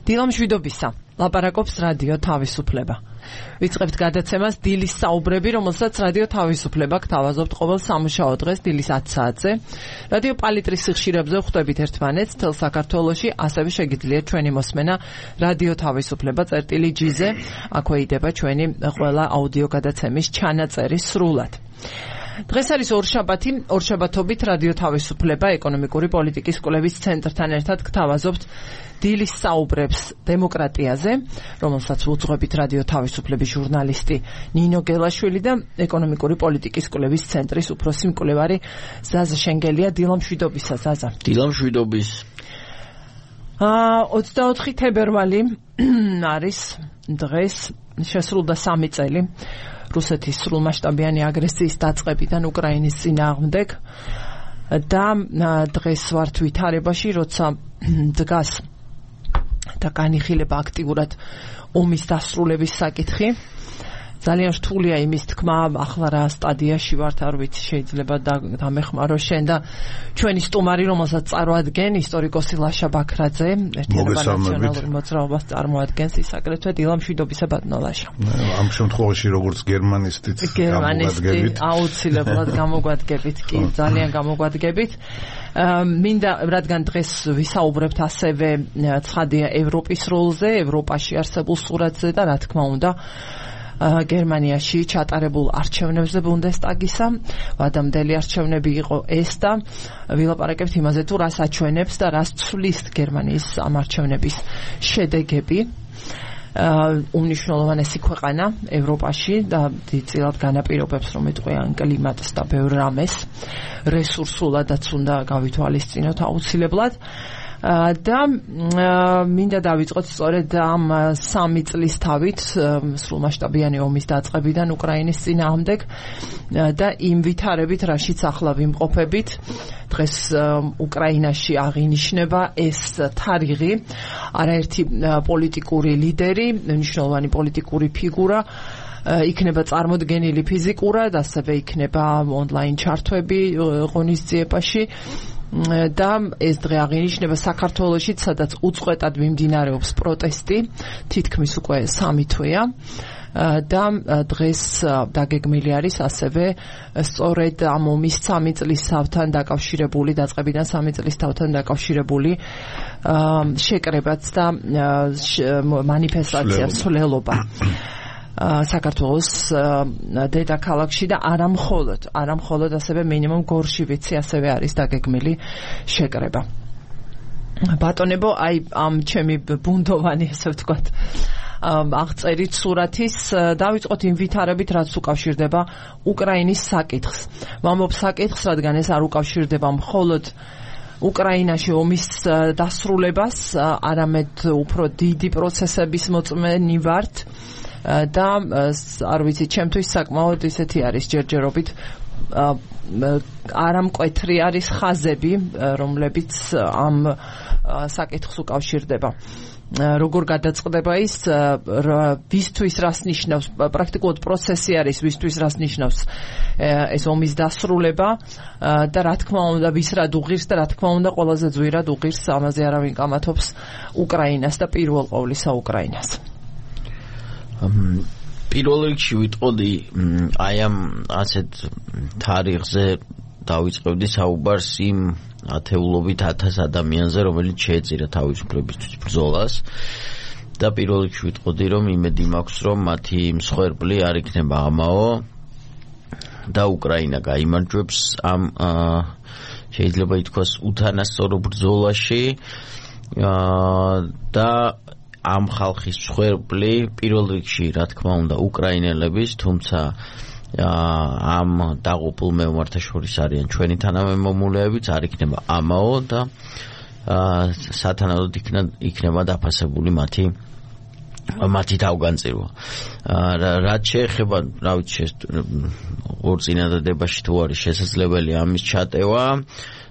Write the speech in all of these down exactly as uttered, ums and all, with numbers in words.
დილამშვიდობისა, ლაპარაკობს რადიო თავისუფლება. ვიწყებთ გადაცემას დილის საუბრები, რომელსაც რადიო თავისუფლება გთავაზობთ ყოველ სამუშაო დღეს დილის ათი საათზე. რადიო პალიტრის სიხშირებზე ხვდებით ერთმანეთს მთელ საქართველოში, ასევე შეგიძლიათ ჩვენი მოსმენა რადიო თავისუფლება წერტილი ჯი-ზე. აქვე იდება ჩვენი ყველა აუდიო გადაცემის ჩანაწერი სრულად. დღეს არის ორშაბათი, ორშაბათობით რადიო თავისუფლება ეკონომიკური პოლიტიკის კვლევის ცენტრთან ერთად გთავაზობთ დილის საუბრებს დემოკრატიაზე, რომელსაც უძღვებით რადიო თავისუფლების ჟურნალისტი ნინო გელაშვილი და ეკონომიკური პოლიტიკის კვლევის ცენტრის უფროსი მკვლევარი ზაზა შენგელია. დილამშვიდობისა, ზაზა. დილამშვიდობის. აა ოცდაოთხი თებერვალი არის დღეს, შესრულდა სამი წელი რუსეთის სრულმასშტაბიანი აგრესიის დაწყებიდან უკრაინის წინააღმდეგ და დღეს ვართ ვითარებაში, როცა დგას და განიხილება აქტიურად ომის დასრულების საკითხი. ძალიან რთულია იმის თქმა, ახლა რა სტადიაში ვართ, არ ვიცი, შეიძლება დამეხმარო შენ და ჩვენი სტუმარი, რომელსაც წარმოადგენ ისტორიკოსი ლაშა ბაქრაძე, ერთიანობა ნაციონალური მოძრაობას წარმოადგენს, ის აგრეთვე დილამშვიდობისა ბატონო ლაშა. ამ შემთხვევაში როგორც გერმანისტიც გერმანისტი აუცილებლად გამოგვადგებით, კი, ძალიან გამოგვადგებით. მინდა, რადგან დღეს ვისაუბრებთ ასევე ცხადია ევროპის როლზე, ევროპაში არსებულ სურათზე და რა თქმა უნდა გერმანიაში ჩატარებულ არჩევნებზე ბუნდესტაგისა, ვადამდელი არჩევნები იყო ეს და ვილაპარაკებთ იმაზე, თუ რას აჩვენებს და რას ცვლის გერმანიის ამ არჩევნების შედეგები. უმნიშვნელოვანესი ქვეყანა ევროპაში და დიდწილად განაპირობებს, რომ იტყვიან კლიმატს და ბევრ რამეს, რესურსულადაც უნდა გავითვალისწინოთ აუცილებლად. და მინდა დავიწყოთ სწორედ ამ სამი წლის თავით სრულმასშტაბიანი ომის დაწყებიდან უკრაინის წინააღმდეგ და იმ ვითარებით, რაშიც ახლა ვიმყოფებით. დღეს უკრაინაში აღინიშნება ეს თარიღი, არაერთი პოლიტიკური ლიდერი, მნიშვნელოვანი პოლიტიკური ფიგურა იქნება წარმოდგენილი ფიზიკურად, ასევე იქნება ონლაინ ჩართვები ღონისძიებაში. და ეს დღე აღინიშნება საქართველოში, სადაც უწყვეტად მიმდინარეობს პროტესტი, თითქმის უკვე სამი თვეა და დღეს დაგეგმილი არის ასევე სწორედ ამ ომის სამი წლის თავთან დაკავშირებული, დაწყებიდან სამი წლის თავთან დაკავშირებული შეკრებაც და მანიფესტაცია ცვლილობა საქართველოს დედაქალაქში და არა მხოლოდ, არა მხოლოდ ასევე მინიმუმ გორში ვიცი ასევე არის დაგეგმილი შეკრება. ბატონებო, აი ამ ჩემი ბუნდოვანი, ესე ვთქვათ, აღწერით სურათის დავიწყოთ იმ ვითარებით, რაც უკავშირდება უკრაინის საკითხს. ვამბობ საკითხს, რადგან ეს არ უკავშირდება მხოლოდ უკრაინაში ომის დასრულებას, არამედ უფრო დიდი პროცესების მოწმენი ვართ. და არ ვიცი, ჩემთვის საკმაოდ ისეთი არის ჯერჯერობით არამკვეთრი არის ხაზები, რომლებიც ამ საკითხს უკავშირდება. როგორ გადაწყდება ის, ვისთვის რას ნიშნავს, პრაქტიკულად პროცესი არის, ვისთვის რას ნიშნავს ეს ომის დასრულება და რა თქმა უნდა ვის რად უღირს და რა თქმა უნდა ყველაზე ძვირად უღირს, ამაზე არავინ კამათობს უკრაინას და პირველ ყოვლისა უკრაინას. პირველ რიგში ვიტყოდი აი ამ ასეთ თარიღზე დავიწყებდი საუბარს იმ ათეულობით ათას ადამიანზე, რომელიც შეეწირა თავისუფლებისთვის ბრძოლას და პირველ რიგში ვიტყოდი, რომ იმედი მაქვს, რომ მათი მსხვერპლი არ იქნება ამაო და უკრაინა გაიმარჯვებს ამ შეიძლება ითქვას უთანასწორო ბრძოლაში და ამ ხალხის მსხვერპლი პირველ რიგში, რა თქმა უნდა, უკრაინელების, თუმცა ამ დაღუპულ მეომართა შორის არიან ჩვენი თანამემამულეებიც, არ იქნება ამაო და სათანადოდ იქნება დაფასებული მათი მათი თავგანწირვა. რაც შეეხება, რა ვიცი, ორწინადადებაში თუ არის შესაძლებელი ამის ჩატევა,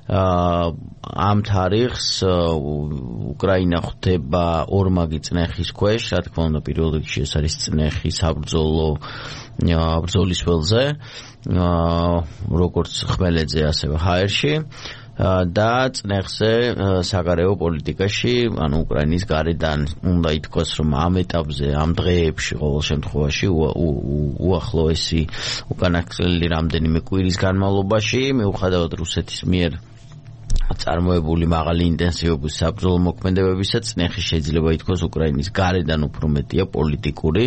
ამ თარიღს უკრაინა ხვდება ორმაგი წნეხის ქვეშ, რა თქმა უნდა, პირველ რიგში ეს არის წნეხი საბრძოლო ბრძოლის ველზე, როგორც ხმელეთზე, ასევე ჰაერში. და წნეხზე საგარეო პოლიტიკაში, ანუ უკრაინის გარედან უნდა ითქვას, რომ ამ ეტაპზე, ამ დღეებში ყოველ შემთხვევაში უახლოესი უკანასკნელი რამდენიმე კვირის განმავლობაში, მიუხედავად რუსეთის მიერ წარმოებული მაღალი ინტენსივობის საბრძოლო მოქმედებებისა, წნეხი შეიძლება ითქვას უკრაინის გარედან უფრო მეტია პოლიტიკური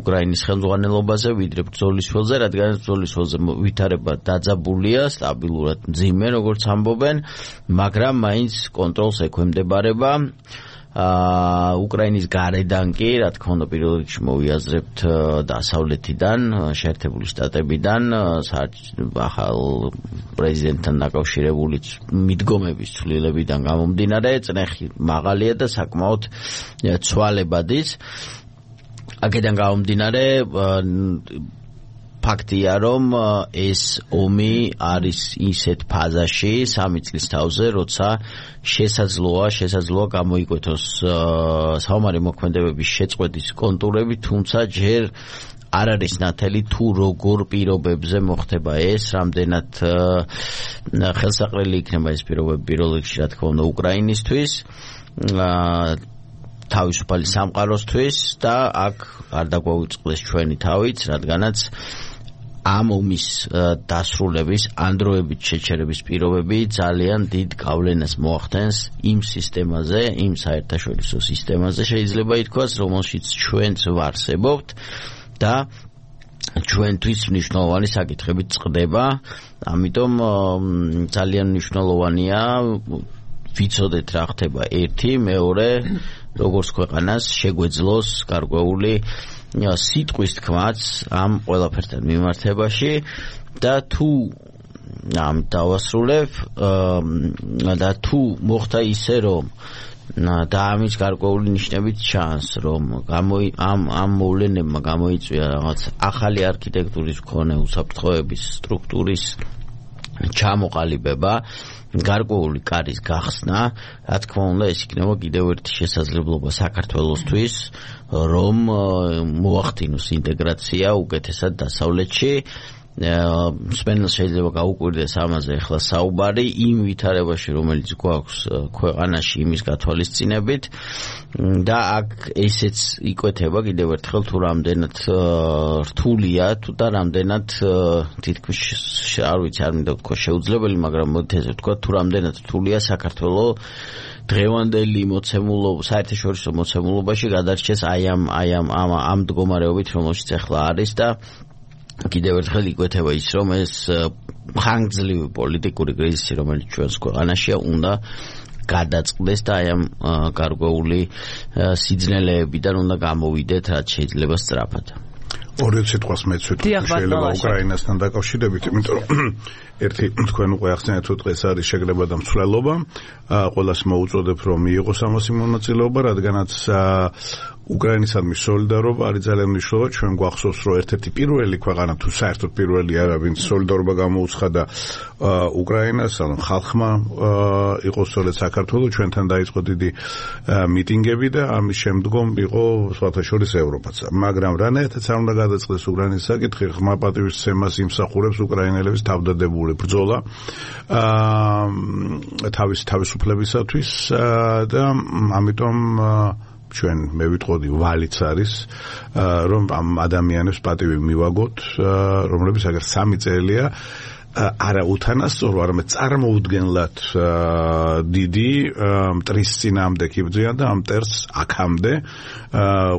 უკრაინის ხელმძღვანელობაზე, ვიდრე ბრძოლის ველზე, რადგან ბრძოლის ველზე ვითარება დაძაბულია, სტაბილურად მძიმე, როგორც ამბობენ, მაგრამ მაინც კონტროლს ექვემდებარება. უკრაინის გარედან კი, რა თქმა უნდა, პირველ რიგში მოვიაზრებთ დასავლეთიდან, შეერთებული შტატებიდან, ახალ პრეზიდენტთან დაკავშირებული მიდგომების ცვლილებიდან გამომდინარე, წნეხი მაღალია და საკმაოდ ცვალებადის. აქედან გამომდინარე, ფაქტია, რომ ეს ომი არის ისეთ ფაზაში სამი წლის თავზე, როცა შესაძლოა, შესაძლოა გამოიკვეთოს საომარი მოქმედებების შეწყვეტის კონტურები, თუმცა ჯერ არ არის ნათელი თუ როგორ პირობებზე მოხდება ეს, რამდენად ხელსაყრელი იქნება ეს პირობები პირველ რიგში, რა თქმა უნდა, უკრაინისთვის, თავისუფალი სამყაროსთვის და აქ არ დაგვაუწყდეს ჩვენი თავიც, რადგანაც ამ ომის დასრულების ანდროებით შეჩერების პირობები ძალიან დიდ გავლენას მოახდენს იმ სისტემაზე, იმ საერთაშორისო სისტემაზე შეიძლება ითქვას, რომელშიც ჩვენც ვარსებობთ და ჩვენთვის მნიშვნელოვანი საკითხებით წყდება, ამიტომ ძალიან მნიშვნელოვანია ვიცოდეთ რა ხდება ერთი, მეორე, როგორც ქვეყანას შეგვეძლოს გარკვეული სიტყვის თქმაც ამ ყველაფერთან მიმართებაში და თუ ამ დავასრულებ და თუ მოხდა ისე რომ და ამის გარკვეული ნიშნებით ჩანს რომ ამ ამ მოვლენებმა გამოიწვია რაღაც ახალი არქიტექტურის მქონე უსაფრთხოების სტრუქტურის ჩამოყალიბება, გარკვეული კარის გახსნა, რა თქმა უნდა, ეს იქნება კიდევ ერთი შესაძლებლობა საქართველოსთვის, რომ მოახდინოს ინტეგრაცია უკეთესად დასავლეთში. მსმენელს შეიძლება გაუკვირდეს ამაზე ახლა საუბარი იმ ვითარებაში, რომელიც გვაქვს ქვეყანაში იმის გათვალისწინებით და აქ ესეც იკვეთება კიდევ ერთხელ თუ რამდენად რთულია თუ და რამდენად თითქმის არ ვიცი არ მინდა ვთქვა შეუძლებელი, მაგრამ მოდით ესე ვთქვა, თუ რამდენად რთულია საქართველოს დღევანდელი მოცემულობა, საერთაშორისო მოცემულობაში გადარჩეს აი ამ აი ამ ამ მდგომარეობით, რომელშიც ახლა არის და კიდევ ერთხელ იკვეთება ის, რომ ეს ხანგრძლივი პოლიტიკური კრიზისი, რომელიც ჩვენს ქვეყანაშია, უნდა გადაწყდეს და აი ამ გარკვეული სიძნელეებიდან უნდა გამოვიდეთ, რაც შეიძლება სწრაფად. ორი სიტყვას მეც ვიტყვი შეიძლება უკრაინასთან დაკავშირებით, იმიტომ რომ ერთი თქვენ უკვე ახსენეთ, რომ დღეს არის შეგრება და მსვლელობა, ყველას მოუწოდებ რომ მიიღოს ამას მონაწილეობა, რადგანაც უკრაინისადმი სოლიდარობა არის ძალიან მნიშვნელოვანი. ჩვენ გვახსოვს, რომ ერთ-ერთი პირველი ქვეყანა თუ საერთოდ პირველი არა, ვინც სოლიდარობა გამოუცხადა უკრაინას, ანუ ხალხმა იყო სწორედ საქართველოს, ჩვენთან დაიწყო დიდი მიტინგები და ამის შემდგომ იყო სხვათა შორის ევროპაც. მაგრამ რანაირადაც არ უნდა გადაწყდეს უკრაინის საკითხი, ხმა პატივისცემას იმსახურებს უკრაინელების თავდადებული ბრძოლა თავის თავისუფლებისათვის და ამიტომ ჩვენ მე ვიტყოდი ვალიც არის რომ ამ ადამიანებს პატივი მივაგოთ, რომლებიც აგერ სამი წელია არა უთანასწორო, არამედ წარმოუდგენლად დიდი მტრის წინააღმდეგ იბრძვიან და ამ მტერს აქამდე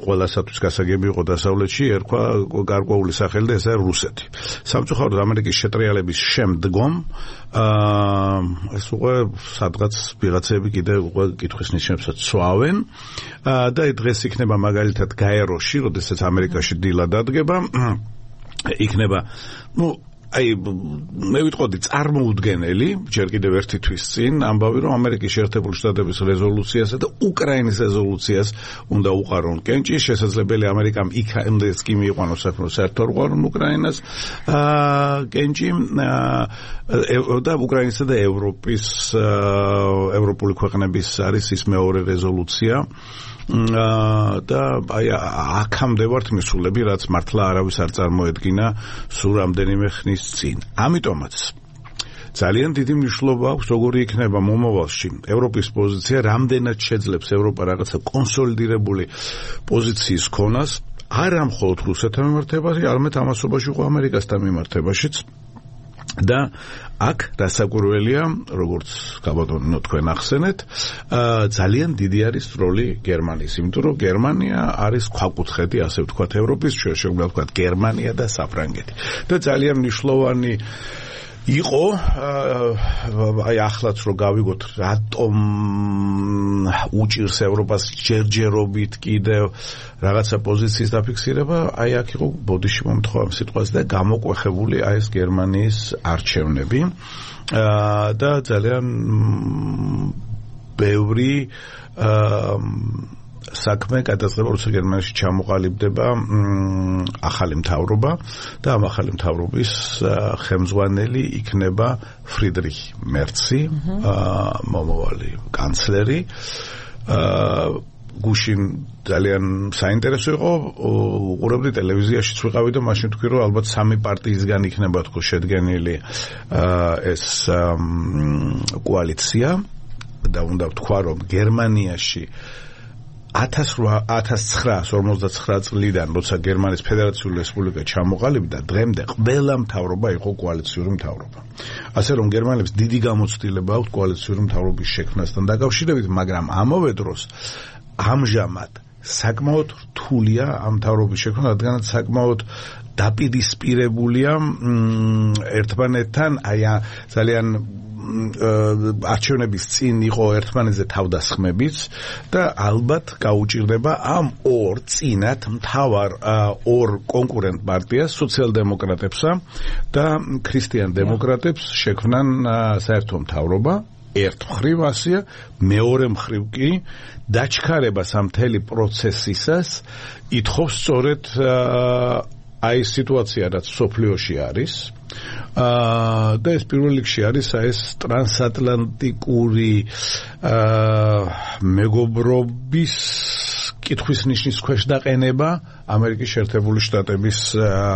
ყველასათვის გასაგები იყო დასავლეთში ერქვა გარკვეული სახელი და ეს არის რუსეთი. სამწუხაროდ ამერიკის შეტრიალების შემდგომ ეს უკვე სადღაც ვიღაცები კიდე უკვე კითხვის ნიშნებსაც ცვავენ და დღეს იქნება მაგალითად გაეროში, როდესაც ამერიკაში დილა დადგება, იქნება ნუ აი მე ვიტყოდი წარმოუდგენელი, ჯერ კიდევ ერთი თვის წინ ამბავი, რომ ამერიკის შეერთებული შტატების რეზოლუციასა და უკრაინის რეზოლუციას უნდა უყარონ კენჭი, შესაძლებელი ამერიკამ იქამდეც კი მიიყვანოს საქმე, საერთოდ უყარონ უკრაინას კენჭი და უკრაინისა და ევროპის ევროპული ქვეყნების არის ის მეორე რეზოლუცია და აი აქამდე ვართ მისულები, რაც მართლა არავის არ წარმოედგინა სულ რამდენიმე ხნის წინ. ამიტომაც ძალიან დიდი მნიშვნელობა აქვს, როგორი იქნება მომავალში ევროპის პოზიცია, რამდენად შეძლებს ევროპა რაღაცა კონსოლიდირებული პოზიციის ქონას, არა მხოლოდ რუსეთთან მიმართებაში, არამედ ამასობაში ყო ამერიკასთან მიმართებაშიც. და აქ დასაკვირველია, როგორც გაბატონო თქვენ ახსენეთ, ძალიან დიდი არის როლი გერმანიის, იმიტომ რომ გერმანია არის ქვაკუთხედი, ასე ვთქვათ, ევროპის, შეგვიძლია ვთქვათ გერმანია და საფრანგეთი. და ძალიან მნიშვნელოვანი იყო აი ახლაც რომ გავიგოთ რატომ უჭირს ევროპას ჯერჯერობით კიდევ რაღაცა პოზიციის დაფიქსირება, აი აქ იყო ბოდიში მომთხოვა ამ სიტყვას და გამოკვეხებული აი ეს გერმანიის არჩევნები და ძალიან ბევრი საქმე გადაწყდება, როცა გერმანიაში ჩამოყალიბდება ახალი მთავრობა და ამ ახალი მთავრობის ხელმძღვანელი იქნება ფრიდრიხ მერცი, მომავალი კანცლერი. გუშინ ძალიან საინტერესო იყო, უყურებდი ტელევიზიაშიც ვიყავი და მაშინ თქვი რომ ალბათ სამი პარტიისგან იქნება თქო შედგენილი ეს კოალიცია და უნდა ვთქვა რომ გერმანიაში ათას ცხრაას ორმოცდაცხრა წლიდან, როცა გერმანიის ფედერაციული რესპუბლიკა ჩამოყალიბდა, დღემდე ყველა მთავრობა იყო კოალიციური მთავრობა. ასე რომ გერმანელებს დიდი გამოცდილება აქვს კოალიციური მთავრობის შექმნასთან დაკავშირებით, მაგრამ ამავე დროს ამჟამად საკმაოდ რთულია ამ მთავრობის შექმნა, რადგანაც საკმაოდ დაპირისპირებულია ერთმანეთთან, აი ძალიან არჩევნების წინ იყო ერთმანეთზე თავდასხმებიც და ალბათ გაუჭირდება ამ ორ წინათ მთავარ ორ კონკურენტ პარტიას, სოციალ-დემოკრატებსა და ქრისტიან-დემოკრატებს შექმნან საერთო მთავრობა. ერთ მხრივ ასია, მეორე მხრივ კი დაჩქარებას ამ მთელი პროცესისას ითხოვს სწორედ აი სიტუაცია, რაც სოფლიოში არის. აა და ეს პირველ რიგში არის ეს ტრანსატლანტიკური აა მეგობრობის კითხვის ნიშნის ქვეშ დაყენება ამერიკის შეერთებული შტატების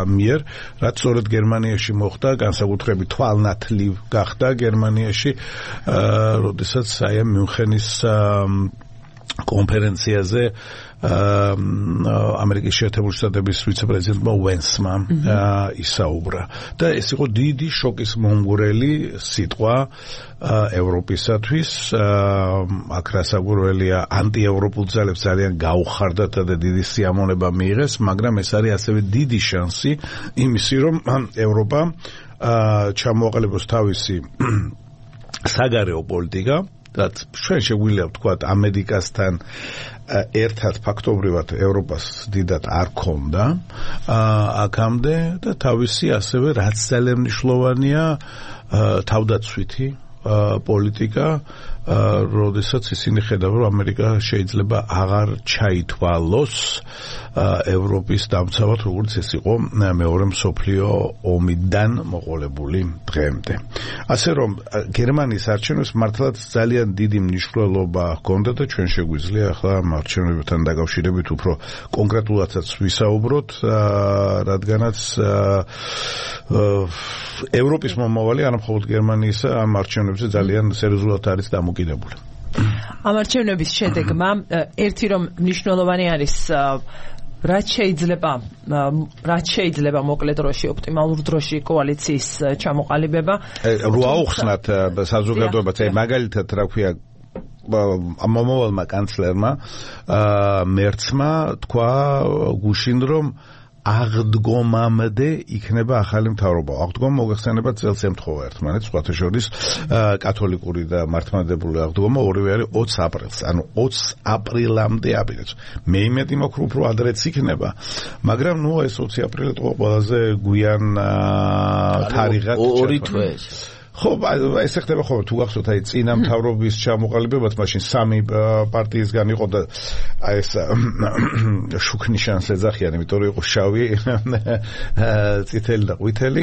მიერ, რაც სწორედ გერმანიაში მოხდა, განსაკუთრებით თვალნათლივ გახდა გერმანიაში, აა როდესაც აი ამ მიუნხენის კონფერენციაზე ამერიკის შეერთებული შტატების ვიცე-პრეზიდენტმა ვენსმა ისაუბრა და ეს იყო დიდი შოკის მომგვრელი სიტყვა ევროპისათვის. აქ რასაკვირველია, ანტიევროპულ ძალებს ძალიან გაუხარდათ და დიდი სიამონება მიიღეს, მაგრამ ეს არის ასევე დიდი შანსი იმისი, რომ ევროპა ჩამოაყალიბოს თავისი საგარეო პოლიტიკა, რაც ჩვენ შეგვიძლია ვთქვათ ამერიკასთან ერთად ფაქტობრივად ევროპას დიდად არ ქონდა აქამდე და თავისი ასევე რაც ძალიან მნიშვნელოვანია თავდაცვითი პოლიტიკა, როდესაც ისინი ხედავენ, რომ ამერიკა შეიძლება აღარ ჩაითვალოს ევროპის დამცავად, როგორც ეს იყო მეორე მსოფლიო ომიდან მოყოლებული დღემდე. ასე რომ გერმანიის არჩევნებს მართლაც ძალიან დიდი მნიშვნელობა ჰქონდა და ჩვენ შეგვიძლია ახლა ამ არჩევნებთან დაკავშირებით უფრო კონკრეტულადაც ვისაუბროთ, რადგანაც ევროპის მომავალი არა მხოლოდ გერმანიის ამ არჩევნებზე ძალიან სერიოზულად არის დამოკიდებული. ამ არჩევნების შედეგმა ერთი რომ მნიშვნელოვანი არის რაც შეიძლება რაც შეიძლება მოკლე დროში, ოპტიმალურ დროში კოალიციის ჩამოყალიბება. რო აუხსნათ საზოგადოებას, აი მაგალითად რა ქვია მომავალმა კანცლერმა მერცმა თქვა გუშინ რომ აღდგომამდე იქნება ახალი მთავრობა. აღდგომა მოგეხსენება წელს ემთხოვა ერთმანეთს, სხვათა შორის კათოლიკური და მართლმადიდებლური აღდგომა ორივე არის ოცს აპრილს, ანუ ოცს აპრილამდე აპირებს. მე იმედი მაქვს, უფრო ადრეც იქნება, მაგრამ ნუ ეს ოცი აპრილი იყო ყველაზე გვიან თარიღად. ორი თვე. ხო, ეს ხდება ხოლმე, თუ გახსოვთ, აი წინა მთავრობის ჩამოყალიბებაც მაშინ სამი პარტიისგან იყო და აი ეს შუქნიშანს ეძახიან, იმიტომ რომ იყო შავი, წითელი და ყვითელი.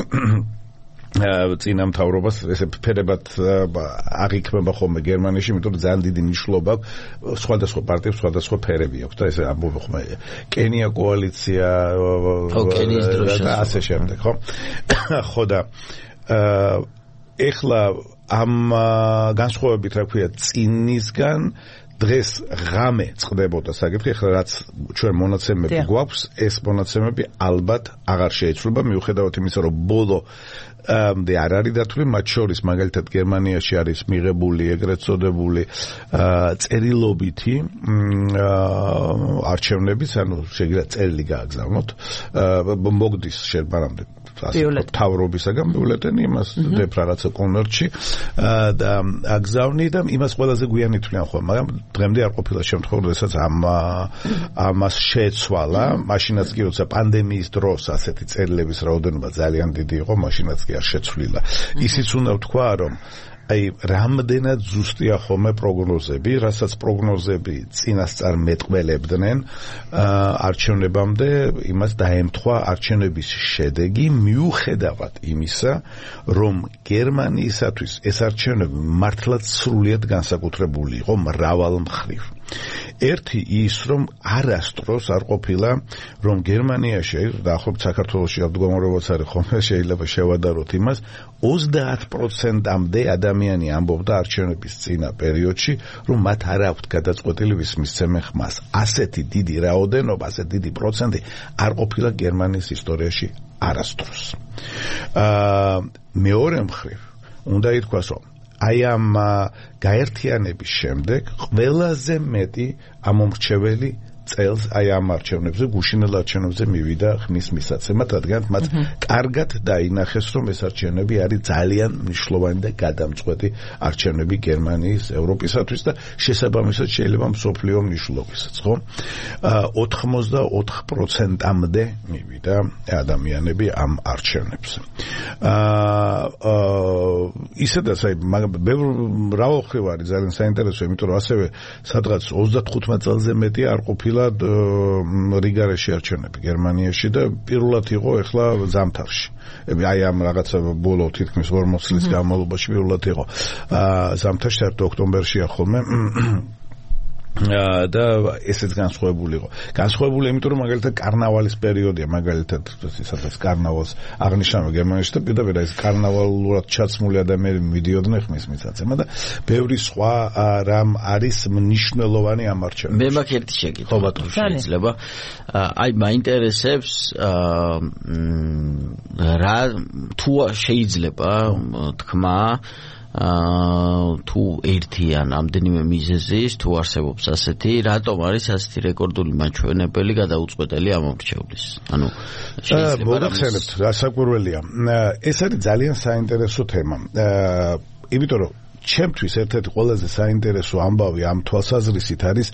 წინა მთავრობას ესე ფერებად აღიქმება ხოლმე გერმანიაში, იმიტომ რომ ძალიან დიდი მნიშვნელობა აქვს სხვადასხვა პარტიებს, სხვადასხვა ფერები აქვს და ესე ამბობ ხოლმე კენია კოალიცია და ასე შემდეგ, ხო? ხო და ეხლა ამ განსხვავებით რა ქვია წინისგან დღეს ღამე წყდებოდა საკითხი, ეხლა რაც ჩვენ მონაცემები გვაქვს, ეს მონაცემები ალბათ აღარ შეიცვლება, მიუხედავად იმისა, რომ ბოლო მდე არ არის დათვლი, მათ შორის მაგალითად გერმანიაში არის მიღებული ეგრეთ წოდებული წერილობითი არჩევნების, ანუ შეგიძლიათ წერილი გააგზავნოთ, მოგდის შერბარამდე თავრობისაგან ბიულეტენი იმას დებ რაღაცა კონვერტში და აგზავნი და იმას ყველაზე გვიანი თვლიან ხოლმე, მაგრამ დღემდე არ ყოფილა შემთხვევა, როდესაც ამ ამას შეეცვალა, მაშინაც კი როცა პანდემიის დროს ასეთი წერილების რაოდენობა ძალიან დიდი იყო, მაშინაც კი არ შეცვლილა. ისიც უნდა ვთქვა, რომ აი რამდენად ზუსტია ხოლმე პროგნოზები, რასაც პროგნოზები წინასწარ მეტყველებდნენ არჩევნებამდე, იმას დაემთხვა არჩევნების შედეგი, მიუხედავად იმისა, რომ გერმანიისათვის ეს არჩევნები მართლაც სრულიად განსაკუთრებული იყო მრავალ მხრივ. ერთი ის, რომ არასდროს არ ყოფილა, რომ გერმანიაში, დაახლოებით საქართველოში აბდგომარეობაც არის ხოლმე, შეიძლება შევადაროთ იმას, ოცდაათ პროცენტამდე ადამიანი ამბობდა არჩევნების წინა პერიოდში, რომ მათ არ აქვთ გადაწყვეტილი ვის მისცემენ ხმას. ასეთი დიდი რაოდენობა, ასეთი დიდი პროცენტი არ ყოფილა გერმანიის ისტორიაში არასდროს. აა მეორე მხრივ, უნდა ითქვას, რომ აი ამ გაერთიანების შემდეგ ყველაზე მეტი ამომრჩეველი წელს აი ამ არჩევნებზე, გუშინელ არჩევნებზე მივიდა ხმის მისაცემად, რადგან მათ კარგად დაინახეს, რომ ეს არჩევნები არის ძალიან მნიშვნელოვანი და გადამწყვეტი არჩევნები გერმანიის, ევროპისათვის და შესაბამისად შეიძლება მსოფლიო მნიშვნელობისაც, ხო? ოცდაოთხ პროცენტამდე მივიდა ადამიანები ამ არჩევნებზე. აა ისედაც აი მრავალხრივ არის ძალიან საინტერესო, იმიტომ რომ ასევე სადღაც ოცდათხუთმეტ წელზე მეტი არ ყოფილა რიგარეში არჩევნები გერმანიაში და პირველად იყო ახლა ზამთარში. აი ამ რაღაცა ბოლო თითქმის ორმოც წლის განმავლობაში პირველად იყო. ზამთარში საერთოდ ოქტომბერშია ხოლმე და ესეც განსხვავებული იყო. განსხვავებული იმიტომ რომ მაგალითად კარნავალის პერიოდია, მაგალითად სადაც კარნავალს აღნიშნავენ გერმანიაში და პირდაპირ ეს კარნავალურად ჩაცმული ადამიანები მიდიოდნენ ხმის მისაცემა და ბევრი სხვა რამ არის მნიშვნელოვანი ამ არჩევნებში. მე მაქვს ერთი შეკითხვა, თუ შეიძლება. აი მაინტერესებს რა თუ შეიძლება თქმა აა თუ ერთიან ამდენიმე მიზეზის თუ არსებობს ასეთი, რატომ არის ასეთი რეკორდული მაჩვენებელი გადაუწყვეტელი ამომრჩევლის? ანუ შეიძლება მოგახსენებთ, რასაკვირველია. ეს არის ძალიან საინტერესო თემა. აა იმიტომ რომ ჩემთვის ერთ-ერთი ყველაზე საინტერესო ამბავი ამ თვალსაზრისით არის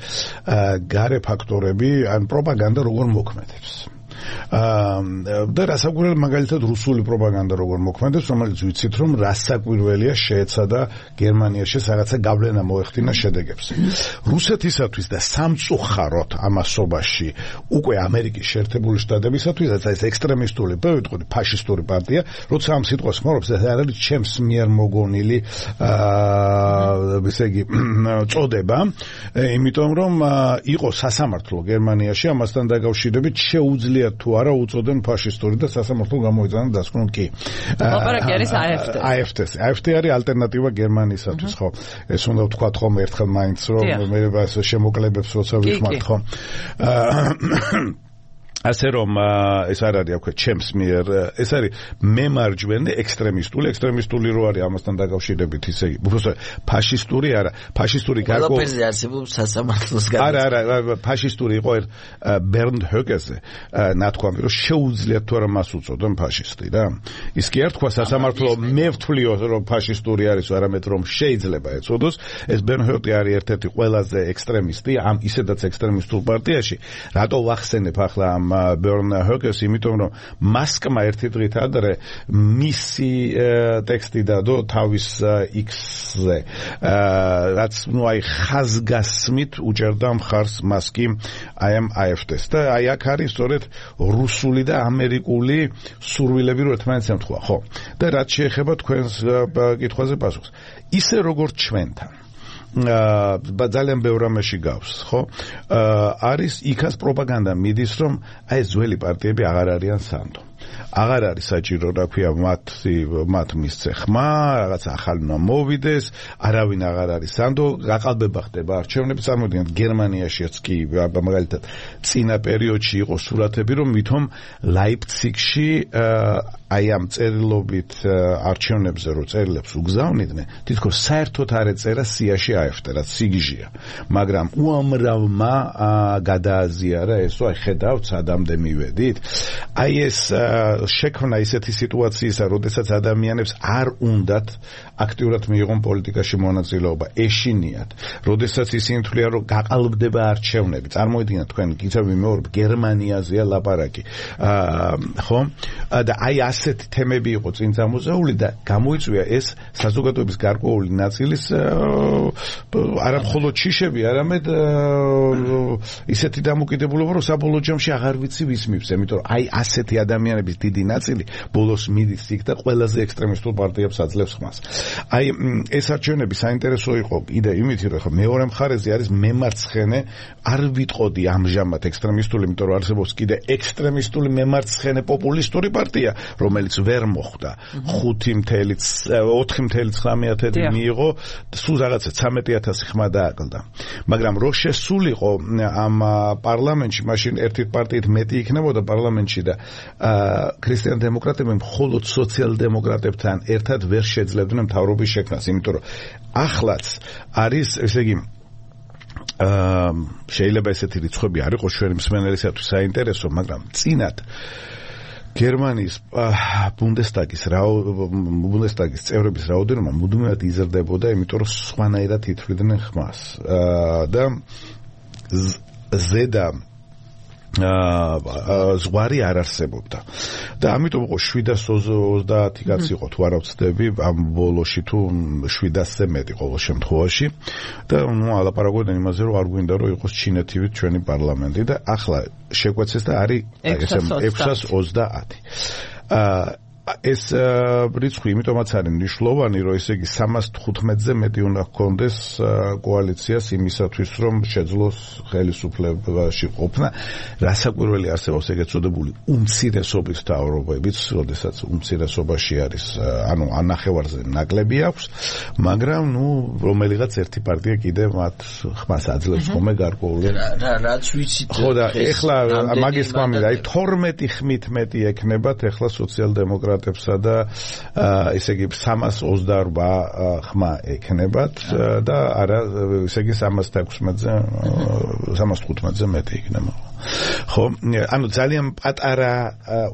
გარე ფაქტორები, ან პროპაგანდა როგორ მოქმედებს. აა და რასაკვირველია მაგალითად რუსული პროპაგანდა როგორ მოქმედებს, რომელიც ვიცით რომ რასაკვირველია შეეცადა გერმანიაში რაღაცა გავლენა მოეხდინა შედეგებს. რუსეთისათვის და სამწუხაროდ ამასობაში უკვე ამერიკის შეერთებული შტატებისათვის ეს ექსტრემისტული, ვიტყოდი ფაშისტური პარტია, როცა ამ სიტყვას ხმარობს, ეს არ არის ჩემს მიერ მოგონილი აა ესე იგი წოდება, იმიტომ რომ იყო სასამართლო გერმანიაში ამასთან დაკავშირებით შეუძლია თუ არა უწოდენ ფაშისტური და სასამართლო გამოიძანა დასკვნონ კი. ლაპარაკი არის აი ეფ ტე. აი ეფ ტე. აი ეფ ტე არის ალტერნატივა გერმანიისათვის, ხო? ეს უნდა ვთქვათ ხომ ერთხელ მაინც რომ მე შემოკლებებს როცა ვიხმართ, ხო? ასე რომ ეს არ არის აქვე ჩემს მიერ, ეს არის მემარჯვენე ექსტრემისტული, ექსტრემისტული რო არის ამასთან დაკავშირებით, ისე იგი, უბრალოდ ფაშისტური არა, ფაშისტური გარკვეულ ყველაფერზე არსებობს სასამართლოს გადაწყვეტა. არა, არა, ფაშისტური იყო ბერნდ ჰოგეზე, ნათქვამი რომ შეუძლიათ თუ არა მას უწოდონ ფაშისტი რა. ის კი არ თქვა სასამართლო მე ვთვლიო რომ ფაშისტური არის, არამედ რომ შეიძლება ეწოდოს. ეს ბერნდ ჰოგი არის ერთ-ერთი ყველაზე ექსტრემისტი ამ ისედაც ექსტრემისტულ პარტიაში. რატო ვახსენებ ახლა ამ ბერნ ჰოგეს, იმიტომ რომ მასკმა ერთი დღით ადრე მისი ტექსტი დადო თავის X-ზე, რაც ნუ აი ხაზგასმით უჭერდა მხარს მასკი აი ამ აი ეფ ტეს და აი აქ არის სწორედ რუსული და ამერიკული სურვილები რო ერთმანეთს ემთხვა, ხო? და რაც შეეხება თქვენს კითხვაზე პასუხს, ისე როგორც ჩვენთან აა ძალიან ბევრ რამეში გავს, ხო? აა არის იქაც პროპაგანდა მიდის, რომ აი ეს ძველი პარტიები აღარ არიან სანდო. აღარ არის საჭირო, რა ქვია, მათ მათ მისცე ხმა, რაღაც ახალი უნდა მოვიდეს, არავინ აღარ არის სანდო, გაყალბება ხდება არჩევნები, წარმოვიდგინეთ გერმანიაშიც კი მაგალითად წინა პერიოდში იყო სურათები, რომ ვითომ ლაიფციგში აი ამ წერილობით არჩევნებზე რო წერილებს უგზავნიდნენ, თითქოს საერთოდ არ ეწერა სიაში აეფტერა, სიგიჟია, მაგრამ უამრავმა გადააზიარა ესო, აი ხედავთ, სადამდე მივედით. აი ეს შექმნა ისეთი სიტუაციისა, როდესაც ადამიანებს არ უნდათ აქტიურად მიიღონ პოლიტიკაში მონაწილეობა, ეშინიათ, როდესაც ისინი თვლიან, რომ გაყალბდება არჩევნები. წარმოვიდგინეთ თქვენ, კიდევ ვიმეორებ, გერმანიაზეა ლაპარაკი. ხო? და აი ასეთი თემები იყო წინ წამოზაული და გამოიწვია ეს საზოგადოების გარკვეული ნაწილის არა მხოლოდ შიშები, არამედ ისეთი დამოკიდებულება, რომ საბოლოო ჯამში აღარ ვიცი ვის მივს, იმიტომ რომ აი ასეთი ადამიანების დიდი ნაწილი ბოლოს მიდის იქ და ყველაზე ექსტრემისტულ პარტიებს აძლევს ხმას. აი ეს არჩევნები საინტერესო იყო კიდე იმით, რომ მეორე მხარეზე არის მემარცხენე, არ ვიტყოდი ამჟამად ექსტრემისტული, იმიტომ რომ არსებობს კიდე ექსტრემისტული მემარცხენე პოპულისტური პარტია, რომელიც ვერ მოხვდა ხუთი ოთხი ცხრამეტი მიიღო, სულ რაღაცა ცხრამეტი ათასი ხმა დააკლდა. მაგრამ რო შესულიყო ამ პარლამენტში, მაშინ ერთი პარტიით მეტი იქნებოდა პარლამენტში და ქრისტიან დემოკრატები მხოლოდ სოციალ-დემოკრატებთან ერთად ვერ შეძლებდნენ მთავრობის შექმნას, იმიტომ რომ ახლაც არის, ესე იგი, აა შეიძლება ესეთი რიცხვები არ იყოს ჩვენი მსმენელისათვის საინტერესო, მაგრამ წინათ გერმანიის ბუნდესტაგის ბუნდესტაგის წევრების რაოდენობა მუდმივად იზრდებოდა, იმიტომ რომ სხვანაირად ითვლიდნენ ხმას. და ზედა ზღვარი არ არსებობდა. და ამიტომ იყო შვიდას ოცდაათი კაცი იყო, თუ არ ვცდები, ამ ბოლოში თუ შვიდასზე მეტი ყოველ შემთხვევაში. და ნუ ალაპარაკობდნენ იმაზე, რომ არ გვინდა რომ იყოს ჩინეთივით ჩვენი პარლამენტი და ახლა შეგვეცეს და არის ექვსას ოცდაათი. ეს რიცხვი იმიტომაც არის მნიშვნელოვანი, რომ ესე იგი სამას თხუთმეტზე მეტი უნდა ჰქონდეს კოალიციას იმისათვის, რომ შეძლოს ხელისუფლებაში ყოფნა. რასაკვირველი არსებობს ეგეთ წოდებული უმცირესობის მთავრობებიც, როდესაც უმცირესობაში არის, ანუ ანახევარზე ნაკლები აქვს, მაგრამ ნუ რომელიღაც ერთი პარტია კიდე მათ ხმას აძლევს ხოლმე გარკვეული. რაც ვიცით. ხო და ეხლა მაგის თქმა მინდა, აი თორმეტი ხმით მეტი ექნებათ ეხლა სოციალ-დემოკრატები და ესე იგი სამას ოცდაორბა ხმა ექნებათ და არა ესე იგი სამას თექვსმეტზე სამას თხუთმეტზე მეტი იქნება. ხო, ანუ ძალიან პატარა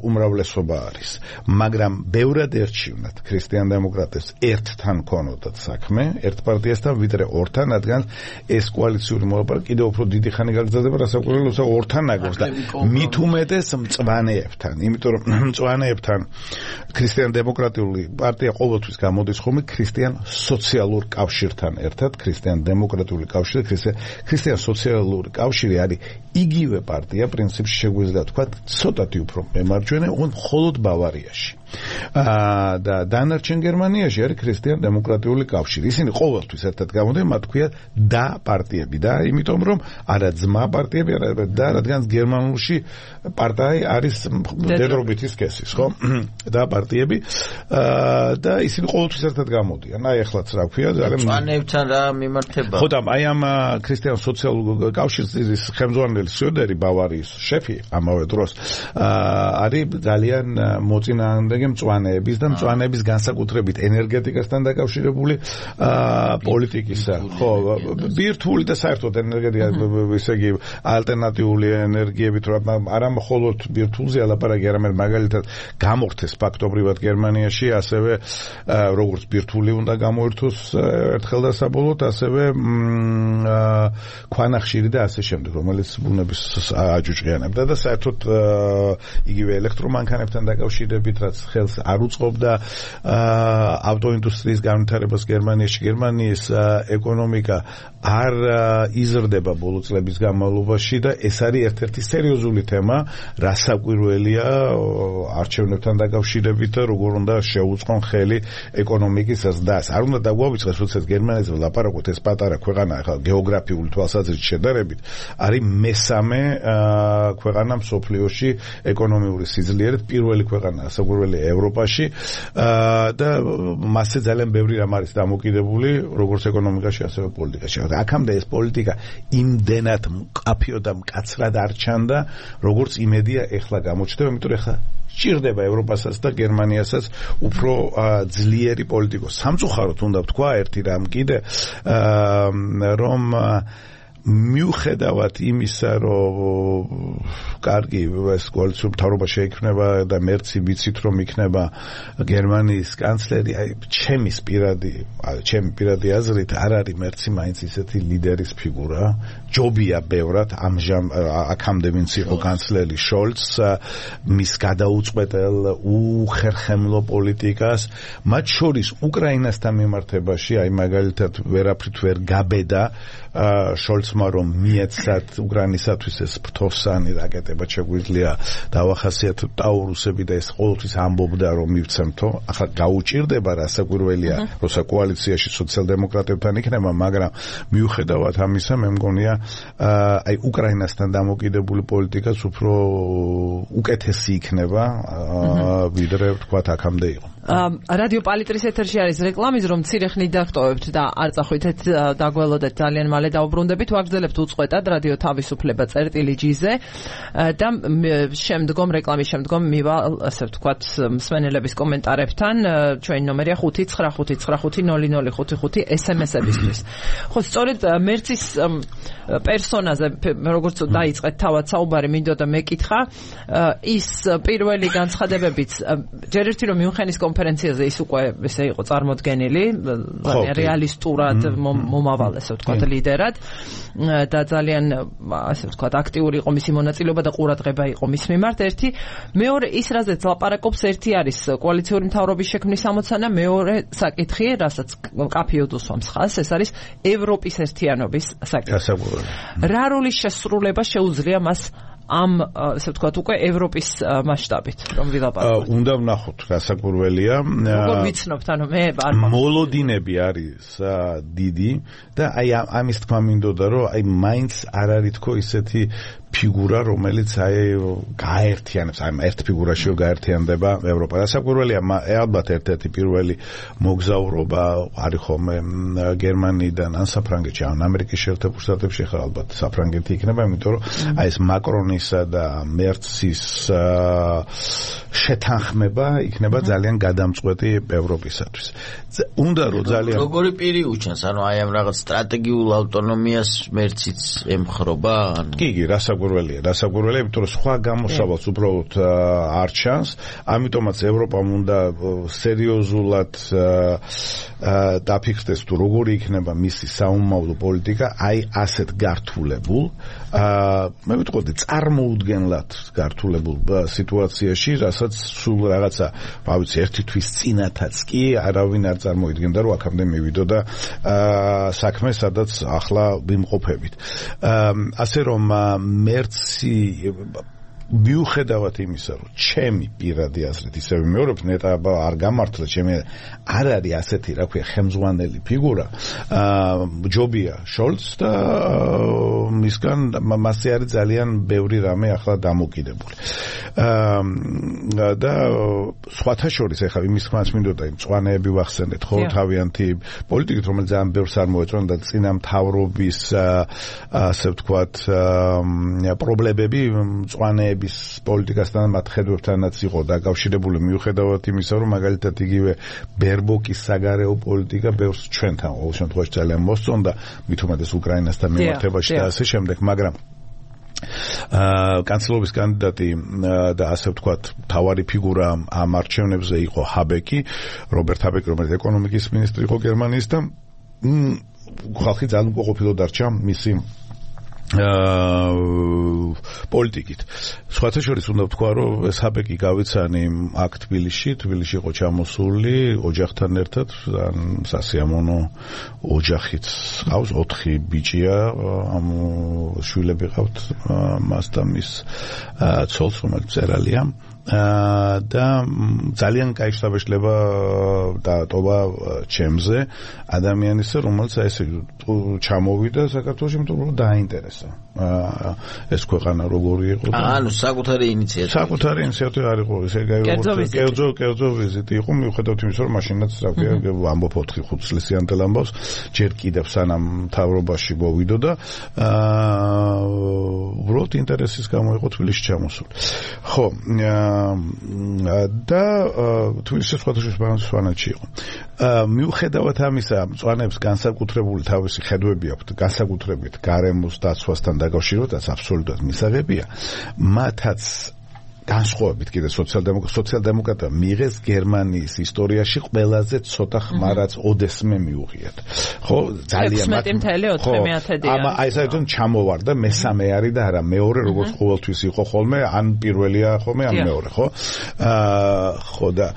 უმრავლესობა არის, მაგრამ ბევრად ერჩივნათ ქრისტიან დემოკრატებს ერთთან ქონოდათ საქმე, ერთ პარტიასთან ვიდრე ორთან, რადგან ეს კოალიციური მოლაპარაკება კიდევ უფრო დიდი ხანი გაგრძელდება, რასაკვირველია, რომ ორთან ნაგობს და მით უმეტეს მწვანეებთან, იმიტომ რომ მწვანეებთან ქრისტიან დემოკრატიული პარტია ყოველთვის გამოდის ხოლმე ქრისტიან სოციალურ კავშირთან ერთად, ქრისტიან დემოკრატიული კავშირი, ქრისტიან სოციალური კავშირი არის იგივე პარტია, პრინციპში შეგვიძლია თქვა, ცოტათი უფრო მემარჯვენე, მხოლოდ ბავარიაში. და დანარჩენ გერმანიაში არის ქრისტიან დემოკრატიული კავშირი. ისინი ყოველთვის ერთად გამოდიან, მათ ქვია და პარტიები და იმიტომ რომ არა ძმა პარტიები, არა და რადგან გერმანულში პარტია არის დედრობითი სქესის, ხო? და პარტიები და ისინი ყოველთვის ერთად გამოდიან. აი ახლაც რა ქვია, ძალიან მწვანეებთან რა მიმართება. ხო და აი ამ ქრისტიან სოციალურ კავშირის ხელმძღვანელი სიოდერი ბავარიის შეფი ამავე დროს არის ძალიან მოწინააღმდეგე მწვანეების და მწვანეების განსაკუთრებით ენერგეტიკასთან დაკავშირებული პოლიტიკისა. ხო, ბირთვული და საერთოდ ენერგეტიკა, ესე იგი ალტერნატიული ენერგიებით, არა მხოლოდ ბირთვულზე ალაპარაკი, არამედ მაგალითად გამორთეს ფაქტობრივად გერმანიაში, ასევე როგორც ბირთვული უნდა გამოირთოს ერთხელ და საბოლოოდ, ასევე ქვანახშირი და ასე შემდეგ, რომელიც ბუნების აჯუჭყიანებდა და საერთოდ იგივე ელექტრომანქანებთან დაკავშირებით, რაც ხელს არ უწყობდა ავტოინდუსტრიის განვითარებას გერმანიაში. გერმანიის ეკონომიკა არ იზრდება ბოლო წლების განმავლობაში და ეს არის ერთ-ერთი სერიოზული თემა, რასაკვირველია არჩევნებთან დაკავშირებით და როგორ უნდა შეუწყონ ხელი ეკონომიკის ზრდას. არ უნდა დაგვავიწყდეს, როდესაც გერმანიაზე ვლაპარაკობთ, ეს პატარა ქვეყანა ახლა გეოგრაფიული თვალსაზრისით შედარებით არის მესამე ქვეყანა მსოფლიოში ეკონომიური სიძლიერით, პირველი ქვეყანა რასაკვირველია ევროპაში და მასზე ძალიან ბევრი რამ არის დამოკიდებული, როგორც ეკონომიკაში, ასევე პოლიტიკაში. აქამდე ეს პოლიტიკა იმდენად მკაფიო და მკაცრად არ ჩანდა, როგორც იმედია ეხლა გამოჩნდება, იმიტომ რომ ეხლა სჭირდება ევროპასაც და გერმანიასაც უფრო ძლიერი პოლიტიკოსი. სამწუხაროდ უნდა ვთქვა ერთი რამ კიდე, რომ მიუხედავად იმისა, რომ კარგი ეს კოალიციურ მთავრობა შეიქმნება და მერცი ვიცით რომ იქნება გერმანიის კანცლერი, აი ჩემის პირადი, ჩემი პირადი აზრით არ არის მერცი მაინც ისეთი ლიდერის ფიგურა. ჯობია ბევრად ამჟამ აქამდე ვინც იყო კანცლერი შოლც მის გადაუწყვეტელ უხერხემლო პოლიტიკას, მათ შორის უკრაინასთან მიმართებაში, აი მაგალითად ვერაფრით ვერ გაბედა შოლცმა რომ მიეცათ უკრაინისათვის ეს ფრთოსანი რაკეტებად შეგვიძლია დავახასიათოთ ტაურუსები და ეს ყოველთვის ამბობდა რომ მივცემთო. ახლა გაუჭირდება რასაკვირველია, როცა კოალიციაში სოციალ-დემოკრატებთან იქნება, მაგრამ მიუხედავად ამისა მე მგონია აი უკრაინასთან დამოკიდებული პოლიტიკაც უფრო უკეთესი იქნება ვიდრე თქვათ აქამდე იყო. რადიო პალიტრის ეთერში არის რეკლამის, რომ მცირე ხნით დაგტოვებთ და არ წახვითეთ დაგველოდეთ, ძალიან მალე დავბრუნდებით. ვაგრძელებთ უწყვეტად რადიო თავისუფლება წერტილი ჯი-ზე და შემდგომ რეკლამის შემდგომ მივალ, ასე ვთქვათ, მსმენელების კომენტარებთან. ჩვენი ნომერია ხუთი ცხრა ხუთი ცხრა ხუთი ნული ნული ხუთი ხუთი ეს ემ ეს-ებისთვის. ხო, სწორედ მერცის პერსონაზე, როგორც დაიწყეთ თავად საუბარი, მინდოდა მეკითხა, ის პირველი განცხადებებიც ჯერ ერთი რომ მიუნხენის კონფერენციაზე ის უკვე ესე იყო წარმოდგენილი, რეალისტურად მომავალ, ასე ვთქვათ, ლიდერად და ძალიან ასე ვთქვათ აქტიური იყო მისი მონაწილეობა და ყურადღება იყო მის მიმართ. ერთი, მეორე ის რაზეც ლაპარაკობს, ერთი არის კოალიციური მთავრობის შექმნის ამოცანა, მეორე საკითხი, რასაც კაფეოდ უსვამს ხაზს, ეს არის ევროპის ერთიანობის საკითხი. რა როლის შესრულება შეუძლია მას ამ ასე ვთქვათ უკვე ევროპის მასშტაბით რომ ვილაპარაკოთ? უნდა ვნახოთ, რასაკვირველია. როგორ ვიცნობთ, ანუ მე არ მოლოდინები არის დიდი და აი ამის თქმა მინდოდა რომ აი მაინც არ არის თქო ისეთი ფიგურა, რომელიც აი გაერთიანებს, აი ერთ ფიგურაშიო გაერთიანდება ევროპა. რასაკვირველია, ალბათ ერთ-ერთი პირველი მოგზაურობა არის ხოლმე გერმანიიდან ან საფრანგეთში, ან ამერიკის შეერთებულ შტატებში, ხა ალბათ საფრანგეთი იქნება, იმიტომ რომ აი ეს მაკრონისა და მერცის შეთანხმება იქნება ძალიან გადამწყვეტი ევროპისათვის. უნდა რომ ძალიან როგორი პირი უჩანს, ანუ აი ამ რაღაც სტრატეგიულ ავტონომიას მერციც ემხრობა, ანუ კი, კი, რასაკვირველია, რასაკვირველია, იმიტომ რომ სხვა გამოსავალს უბრალოდ არ ჩანს, ამიტომაც ევროპამ უნდა სერიოზულად დაფიქრდეს თუ როგორი იქნება მისი საომავლო პოლიტიკა, აი ასეთ გართულებულ, მე ვიტყოდი წარმოუდგენლად გართულებულ სიტუაციაში, რასაც სულ რაღაცა, რა ვიცი, ერთი თვის წინათაც კი არავინ არ წარმოიდგენდა, რომ აქამდე მივიდოდა საქმე, სადაც ახლა ვიმყოფებით. ასე რომ მერცი მიუხედავად იმისა, რომ ჩემი პირადი აზრით ისე ვიმეორებ, ნეტა არ გამართლა, ჩემი არ არის ასეთი, რა ქვია, ხელმძღვანელი ფიგურა. ჯობია შოლც და მისგან მასზე არის ძალიან ბევრი რამე ახლა დამოკიდებული. და სხვათა შორის ახლა იმის ხმაც მინდოდა იმ მწვანეები ვახსენეთ, ხო, თავიანთი პოლიტიკით, რომელიც ძალიან ბევრს არ მოეწონა და წინა მთავრობის ასე ვთქვათ პრობლემები მწვანეები პოლიტიკასთან მათ ხედვებთანაც იყო დაკავშირებული, მიუხედავად იმისა, რომ მაგალითად იგივე ბერბოკის საგარეო პოლიტიკა ბევრს ჩვენთან ყოველ შემთხვევაში ძალიან მოსწონდა, მით უმეტეს უკრაინასთან მიმართებაში და ასე შემდეგ, მაგრამ კანცლერობის კანდიდატი და ასე ვთქვათ მთავარი ფიგურა ამ არჩევნებზე იყო ჰაბეკი, რობერტ ჰაბეკი, რომელიც ეკონომიკის მინისტრი იყო გერმანიის და ხალხი ძალიან უკმაყოფილო დარჩა მისი პოლიტიკით. სხვათა შორის უნდა ვთქვა, რომ ეს ჰაბეკი გავიცანი აქ თბილისში, თბილისში იყო ჩამოსული ოჯახთან ერთად, სასიამოვნო ოჯახიც ყავს, ოთხი ბიჭია, ამ შვილები ყავთ მას და მის ცოლს, რომელიც მწერალია. და ძალიან კაი შთაბეჭდილება დაატოვა ჩემზე ადამიანისა, რომელიც ესე ჩამოვიდა საქართველოში, იმიტომ რომ დააინტერესა ეს ქვეყანა როგორი იყო. ანუ საკუთარი ინიციატივა. საკუთარი ინიციატივა არ იყო, ესე გაიგო. კერძო კერძო ვიზიტი იყო, მიუხედავად იმისა, რომ მაშინაც რა ქვია, ამბობ ოთხი ხუთი წლის იანტელ ამბავს, ჯერ კიდევ სანამ მთავრობაში მოვიდო და უბრალოდ ინტერესის გამო იყო თბილისში ჩამოსული. ხო, და თბილისში სხვადასხვა სვანეთში იყო. მიუხედავად ამისა, მწვანეებს განსაკუთრებული თავისი ხედვები აქვთ, განსაკუთრებით გარემოს დაცვასთან დაკავშირებადაც აბსოლუტურად მისაღებია. მათაც განსხვავებით კიდე სოციალ-დემოკრატია მიიღეს გერმანიის ისტორიაში ყველაზე ცოტა ხმა, რაც ოდესმე მიუღიათ. ხო, ძალიან მაგრამ აი საერთოდ ჩამოვარდა, მესამე არის და არა მეორე, როგორც ყოველთვის იყო ხოლმე, ან პირველია ხოლმე, ან მეორე, ხო? აა ხო და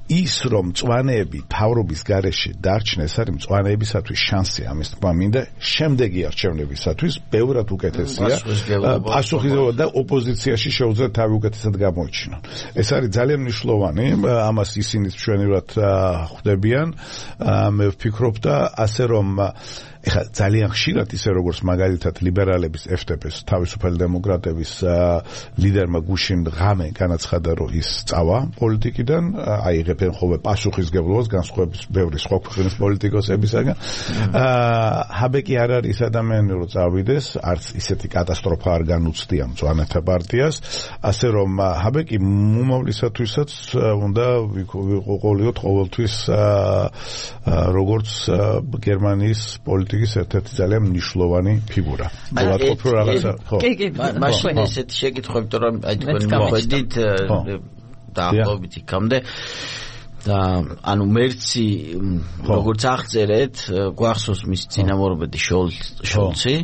ის რომ მწვანეები თავრობის გარეშე დარჩნენ, არის მწვანეებისათვის შანსი ამის თქმა მინდა, შემდეგი არჩევნებისათვის ბევრად უკეთესია. პასუხისმგებლობა და ოპოზიციაში შეუძლიათ თავი უკეთესად გამოიჩინონ. ეს არის ძალიან მნიშვნელოვანი, ამას ისინიც ჩვენივად ხვდებიან. მე ვფიქრობ და ასე რომ ეხლა ძალიან ხშირად ისე როგორც მაგალითად ლიბერალების ეფ დე პეს თავისუფალი დემოკრატების ლიდერმა გუშინ ღამე განაცხადა, რომ ის წავა პოლიტიკიდან, აიღებენ ხოლმე პასუხისმგებლობას განსხვავების ბევრი სხვა ქვეყნის პოლიტიკოსებისაგან. ჰაბეკი არ არის ის ადამიანი, რომ წავიდეს, არც ისეთი კატასტროფა არ განუცდია მწვანეთა პარტიას, ასე რომ ჰაბეკი მომავლისათვისაც უნდა ვიყოლიოთ ყოველთვის როგორც გერმანიის პოლიტიკის ერთ-ერთი ძალიან მნიშვნელოვანი ფიგურა. ვატყობ რომ რაღაცა ხო. მაშინ ესეთი შეკითხვა, იმიტომ რომ აი თქვენ მოხედით დაახლოებით იქამდე და ანუ მერცი როგორც აღწერეთ, გვახსოვს მის წინამორბედი შოლცი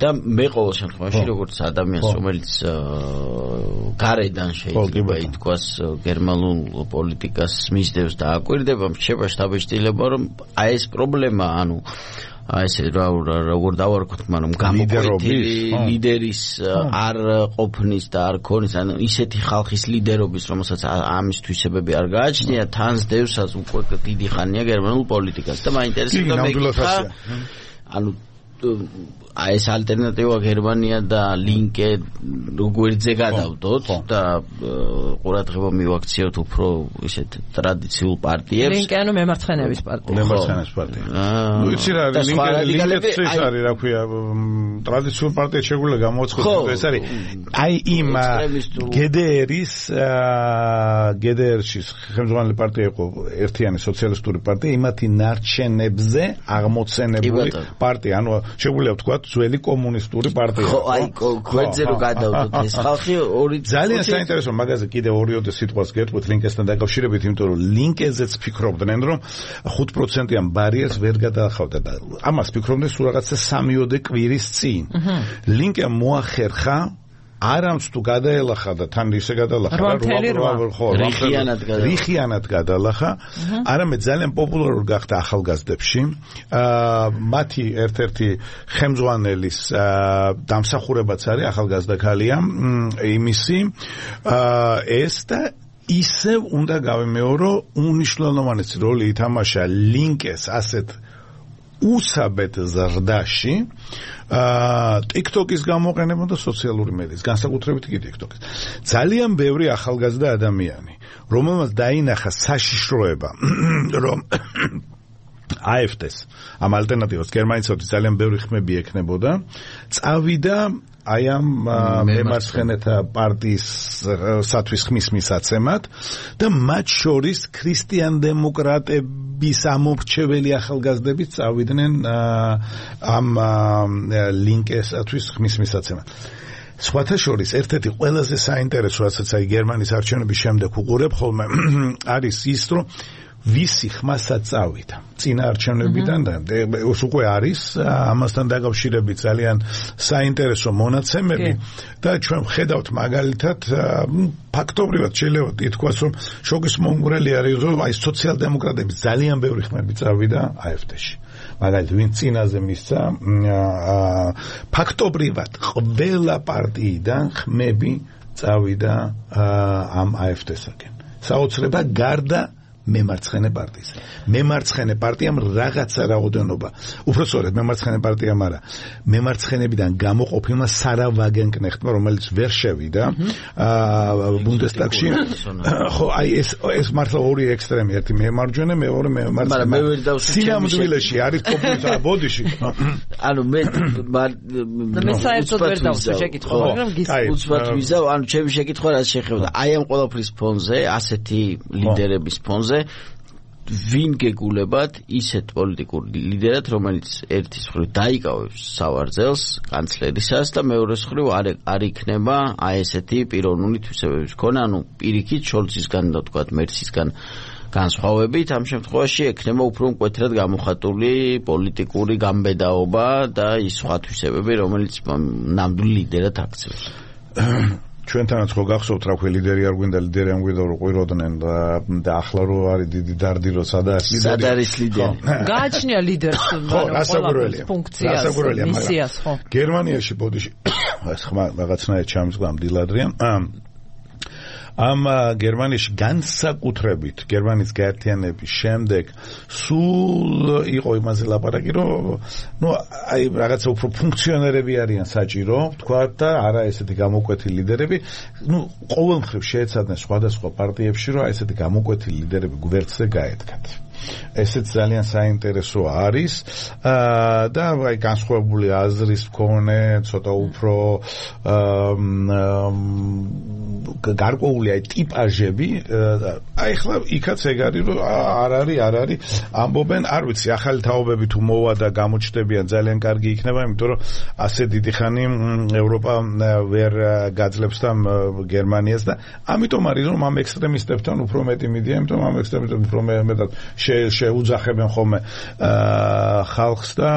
და მე ყოველ შემთხვევაში როგორც ადამიანს, რომელიც გარედან შეიძლება ითქვას გერმანულ პოლიტიკას მისდევს და აკვირდება, შეება შთაბეჭდილება, რომ აი ეს პრობლემა, ანუ აი ესე როგორ დავარქვათ, მაგრამ გამოკვეთილი ლიდერის არ ყოფნის და არ ქონის, ანუ ისეთი ხალხის ლიდერობის, რომელსაც ამის თვისებები არ გააჩნია, თან სდევსაც უკვე დიდი ხანია გერმანულ პოლიტიკას და მაინტერესებდა მე ანუ აი ეს ალტერნატივა გერმანია და ლინკე როგორიძე გადავდოთ და ყურადღება მივაქციოთ უფრო ისეთ ტრადიციულ პარტიებს. ლინკე ანუ მემარცხენეების პარტია. მემარცხენეების პარტია. ნუ იცი რა არის ლინკე ეს არის რა ქვია ტრადიციულ პარტია შეგვიძლია გამოაცხადოთ, ეს არის აი იმ გედერის გედერში ხელმძღვანელი პარტია იყო ერთიანი სოციალისტური პარტია, იმათი ნარჩენებზე აღმოცენებული პარტია, ანუ შეგვიძლია ვთქვათ ძველი კომუნისტური პარტია. ხო, აი გვერდზე რო გადავდოთ ეს ხალხი ორი ძალიან საინტერესო მაგაზე კიდე ორიოდე სიტყვას გეტყვით ლინკესთან დაკავშირებით, იმიტომ რომ ლინკეზეც ფიქრობდნენ, რომ ხუთ პროცენტიან ბარიერს ვერ გადაახავდა და ამას ფიქრობდნენ სულ რაღაცა სამიოდე კვირის წინ. ლინკემ მოახერხა არამც თუ გადაელახა და თან ისე გადალახა ხო რიხიანად გადალახა რიხიანად გადალახა არამედ ძალიან პოპულარული გახდა ახალგაზრდებში. მათი ერთ-ერთი ხელმძღვანელის დამსახურებაც არის ახალგაზრდა ქალია იმისი ეს და ისევ უნდა გავიმეორო, უნიშნულოვანესი როლი ითამაშა ლინკეს ასეთ უსაბეთ ზრდაში TikTok-ის გამოყენება და სოციალური მედიის, განსაკუთრებით კი TikTok-ის. ძალიან ბევრი ახალგაზრდა ადამიანი, რომელმაც დაინახა საშიშროება, რომ აი ეფ დე-ს ამ ალტერნატივას გერმანიაში ძალიან ბევრი ხმები ექნებოდა, წავიდა აი ამ მემარცხენეთა პარტიის სათვის ხმის მისაცემად და მათ შორის ქრისტიან დემოკრატების ამორჩეველი ახალგაზრდები წავიდნენ ამ ლინკესათვის ხმის მისაცემად. სხვათა შორის ერთ-ერთი ყველაზე საინტერესო, რასაც აი გერმანიის არჩევნების შემდეგ უყურებ ხოლმე არის ის, რომ ვისი ხმასაც წავიდა წინა არჩევნებიდან და ეს უკვე არის ამასთან დაკავშირებით ძალიან საინტერესო მონაცემები და ჩვენ ვხედავთ მაგალითად ფაქტობრივად შეიძლება ითქვას რომ შოკის მომგვრელი არის რომ აი სოციალ-დემოკრატების ძალიან ბევრი ხმები წავიდა აეფდეში მაგალითად ვინ წინაზე მისცა ფაქტობრივად ყველა პარტიიდან ხმები წავიდა ამ აეფდესაკენ საოცრება გარდა მემარცხენე პარტიის. მემარცხენე პარტიამ რაღაცა რაოდენობა. უბრალოდ მემარცხენე პარტიამ არა. მემარცხენებიდან გამოყოფილმა სარა ვაგენკნეხტმა, რომელიც ვერ შევიდა ბუნდესტაგში. ხო, აი ეს ეს მართლა ორი ექსტრემი, ერთი მემარჯვენე, მეორე მემარცხენე. მაგრამ მე ვერ დავსვი სინამდვილეში არის პოპულიზმი, ბოდიში. ანუ მე მე საერთოდ ვერ დავსვი შეკითხვა, მაგრამ უცბად ვიზავ, ანუ ჩემი შეკითხვა რაც შეხებოდა. აი ამ ყოველფრის ფონზე, ასეთი ლიდერების ფონზე ვინ გეგულებათ ისეთ პოლიტიკურ ლიდერად, რომელიც ერთის მხრივ დაიკავებს სავარძელს კანცლერისას და მეორეს მხრივ არ იქნება აი ესეთი პიროვნული თვისებების მქონე, ანუ პირიქით შოლცისგან და თქვათ მერცისგან განსხვავებით ამ შემთხვევაში ექნება უფრო მკვეთრად გამოხატული პოლიტიკური გამბედაობა და ის სხვა თვისებები, რომელიც ნამდვილ ლიდერად აქცევს. ჩვენთანაც ხო გახსოვთ რა ქვია ლიდერი არ გვინდა ლიდერი არ გვინდა რომ ყვიროდნენ და და ახლა რო არის დიდი დარდი რო სადაც ლიდერი სად არის ლიდერი გააჩნია ლიდერს რასაკვირველია ფუნქციას მისიას ხო გერმანიაში ბოდიში ეს ხმა რაღაცნაირად ჩამსგვა მდილადრია ამ გერმანიაში განსაკუთრებით გერმანიის გაერთიანების შემდეგ სულ იყო იმაზე ლაპარაკი რომ ნუ აი რაღაცა უფრო ფუნქციონერები არიან საჭირო თქვა და არა ესეთი გამოკვეთილი ლიდერები ნუ ყოველ მხრივ შეეცადნენ სხვადასხვა პარტიებში რომ აი ესეთი გამოკვეთილი ლიდერები გვერდზე გაედგათ ესეც ძალიან საინტერესო არის და აი განსხვავებული აზრის მქონე ცოტა უფრო გარკვეული აი ტიპაჟები აი ხლა იქაც ეგ არის რომ არ არის არ არის ამბობენ არ ვიცი ახალი თაობები თუ მოვა და გამოჩნდებიან ძალიან კარგი იქნება იმიტომ რომ ასე დიდი ხანი ევროპა ვერ გაძლებს და გერმანიას და ამიტომ არის რომ ამ ექსტრემისტებთან უფრო მეტი მიდია იმიტომ ამ ექსტრემისტებთან უფრო მეტად შეუძახებენ ხოლმე ხალხს და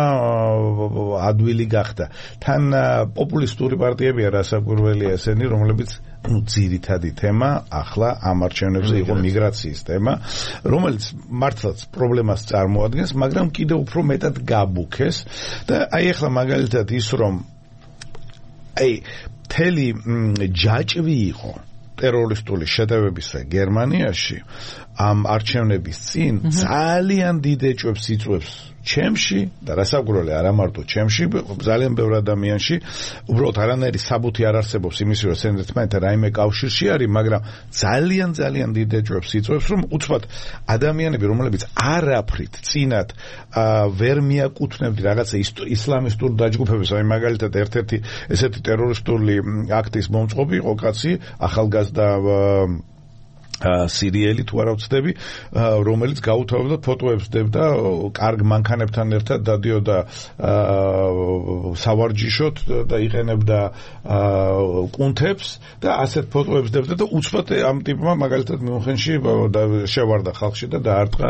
ადვილი გახდა თან პოპულისტური პარტიებია რასაკვირველია ესენი რომლებიც ну ძირითადი თემა ახლა ამ არჩევნებზე იყო მიგრაციის თემა რომელიც მართლაც პრობლემას წარმოადგენს მაგრამ კიდევ უფრო მეტად გაბუქეს და აი ახლა მაგალითად ის რომ აი თელი ჯაჭვი იყო ტერორისტული შეტევებისა გერმანიაში ამ არჩევნების წინ ძალიან დიდ ეჭვებს იწვევს ჩემში და რასაკვირველია არა მარტო ჩემში ძალიან ბევრ ადამიანში უბრალოდ არანაირი საბუთი არ არსებობს იმის რომ სენდეთმენთან რაიმე კავშირში არის მაგრამ ძალიან ძალიან დიდ ეჭვებს იწვევს რომ უცბად ადამიანები რომლებიც არაფრით წინათ ვერ მიაკუთვნებდი რაღაცა ისლამისტურ დაჯგუფებას აი მაგალითად ერთ-ერთი ესეთი ტერორისტული აქტის მომწყობი იყო კაცი ახალგაზრდა სირიელი თუ არა ვცდები რომელიც გაუთავებდა ფოტოებს დებდა კარგ მანქანებთან ერთად დადიოდა სავარჯიშოთ და იყენებდა კუნთებს და ასეთ ფოტოებს დებდა და უცბად ამ ტიპმა მაგალითად მიუნხენში შევარდა ხალხში და დაარტყა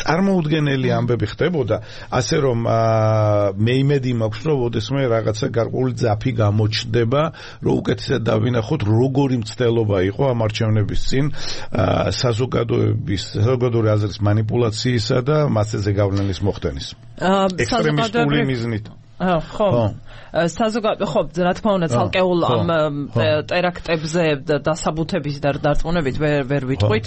წარმოუდგენელი ამბები ხდებოდა ასე რომ მე იმედი მაქვს რომ ოდესმე რაღაცა გარკვეული ძაფი გამოჩნდება რომ უკეთესად დავინახოთ როგორი მცდელობა იყო ამ არჩევნების წინ საზოგადოების საზოგადოური აზრის манипуляციისა და მასზე გავლენის მოხდენის. ექსტრემისტული მიზნით. ხო. საზოგადო ხო, რა თქმა უნდა, ცალკეულ ამ ტერაქტებზე დასაბუთების და დარწმუნებით ვერ ვერ ვიტყვით,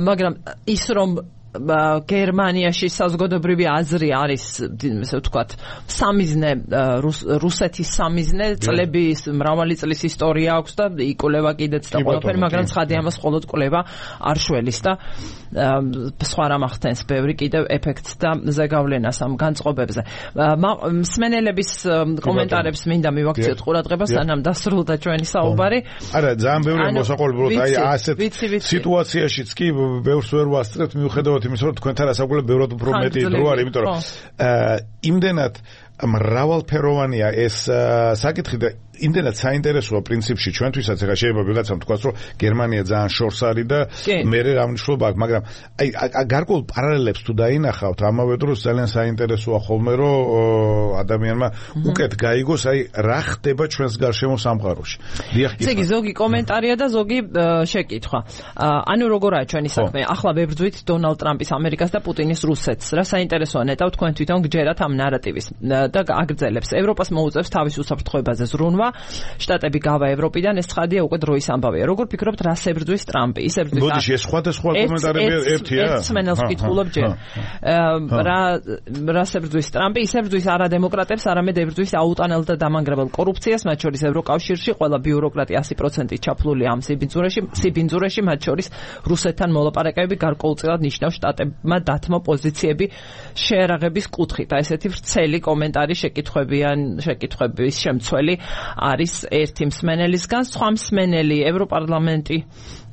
მაგრამ ის რომ გერმანიაში საზოგადოებრივი აზრი არის ესე ვთქვათ სამიზნე რუსეთის სამიზნე წლების მრავალი წლის ისტორია აქვს და იკვლევა კიდეც და ყველაფერი მაგრამ ცხადი ამას მხოლოდ კვლევა არ შველის და სხვა რამ ახდენს ბევრი კიდევ ეფექტს და ზეგავლენას ამ განწყობებზე მსმენელების კომენტარებს მინდა მივაქციოთ ყურადღებას სანამ დასრულდა ჩვენი საუბარი არა ძალიან ბევრი მოსაყოლებრივად აი ასეთ სიტუაციაშიც კი ბევრს ვერ ვასწრებთ მიუხედავად იმის რომ თქვენთან ასაკულებ ბევრად უფრო მეტი დრო არის იმიტომ რომ იმდენად მრავალფეროვანია ეს საკითხი და იმდენად საინტერესოა პრინციპში ჩვენთვისაც, ეხლა შეიძლება ვიღაცამ თქვას, რომ გერმანია ძალიან შორს არის და მე რა მნიშვნელობა აქვს, მაგრამ აი გარკვეულ პარალელებს თუ დაინახავთ, ამავე დროს ძალიან საინტერესოა ხოლმე, რომ ადამიანმა უკეთ გაიგოს, აი რა ხდება ჩვენს გარშემო სამყაროში. დიახ, იგი ზოგი კომენტარია და ზოგი შეკითხვა. ანუ როგორაა ჩვენი საქმე? ახლა ვებრძვით დონალდ ტრამპის ამერიკას და პუტინის რუსეთს. რა საინტერესოა ნეტავ თქვენ თვითონ გჯერათ ამ ნარატივის და აგრძელებს. ევროპას მოუწევს თავის უსაფრთხოებაზე ზრუნვა. შტატები გავა ევროპიდან, ეს ცხადია უკვე დროის ამბავია. როგორ ფიქრობთ, რას ებრძვის ტრამპი? ის ებრძვის მოდი ეს სხვადასხვა კომენტარები ერთია. ერთ სმენელს ვკითხულობ ჯერ. რა რას ებრძვის ტრამპი? ის ებრძვის არა დემოკრატებს, არამედ ებრძვის აუტანელ და დამანგრებელ კორუფციას, მათ შორის ევროკავშირში, ყველა ბიუროკრატი ასი პროცენტით ჩაფლული ამ სიბინძურეში, სიბინძურეში, მათ შორის რუსეთთან მოლაპარაკებები გარკვეულწილად ნიშნავს შტატებმა დათმო პოზიციები შეერაღების კუთხით. აი ესეთი ვრცელი კომენტარი შეკითხვებიან, შეკითხვების შემცველი არის ერთი მსმენელისგან, სხვა მსმენელი ევროპარლამენტი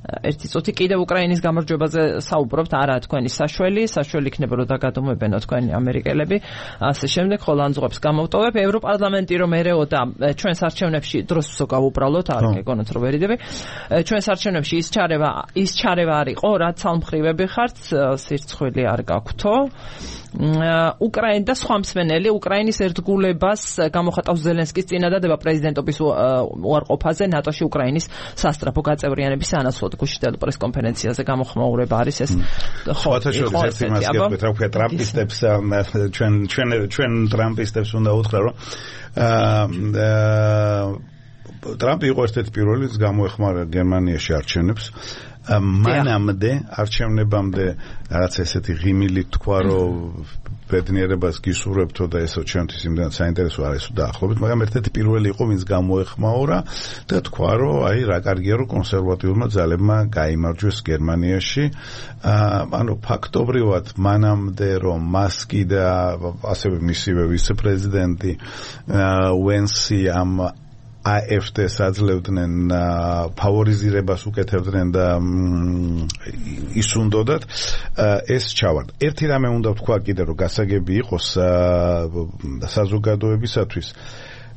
ერთი წუთი კიდევ უკრაინის გამარჯვებაზე საუბრობთ, არა თქვენი საშველი, საშველი იქნება რომ დაგადომებენო თქვენი ამერიკელები, ასე შემდეგ, ხოლო ანძღებს გამოვტოვებ. ევროპარლამენტი რომ ერეოდა ჩვენს არჩევნებში დროს გავუბრალოთ, არ გეკონოთ რომ ვერიდები. ჩვენს არჩევნებში ის ჩარევა, ის ჩარევა არ იყო, რაც ცალმხრივები ხართ, სირცხვილი არ გაქვთო. უკრაინა და სხვა მსმენელი უკრაინის ერთგულებას გამოხატავს ზელენსკის წინადადება პრეზიდენტობის უარყოფაზე ნატოში უკრაინის სასტრაფო გაწევრიანების ანაცვლოდ გუშინდელ პრესკონფერენციაზე გამოხმაურება არის ეს. ხოთა შორის ერთი მასკი აქვს, რა ვქეთ, ტრამპისტებს ჩვენ ჩვენ ჩვენ ტრამპისტებს უნდა უთხრა, რომ ტრამპი იყო ერთ-ერთი პირველი, ვინც გამოეხმარა გერმანიაში არჩევნებს. მანამდე არჩევნებამდე რაღაც ესეთი ღიმილი თქვა, რომ ბედნიერებას გისურვებთო და ესო ჩვენთვის იმდენად საინტერესო არის დაახლოებით, მაგრამ ერთ-ერთი პირველი იყო, ვინც გამოეხმაურა და თქვა, რომ აი რა კარგია, რომ კონსერვატიულმა ძალებმა გაიმარჯვეს გერმანიაში. ანუ ფაქტობრივად მანამდე რომ მასკი და ასევე მისივე ვიცე-პრეზიდენტი ვენსი ამ AfD-ს აძლევდნენ ფავორიზირებას უკეთებდნენ და ის უნდათ ეს ჩავარდა. ერთი რამე უნდა ვთქვა კიდე, რომ გასაგები იყოს საზოგადოებისათვის.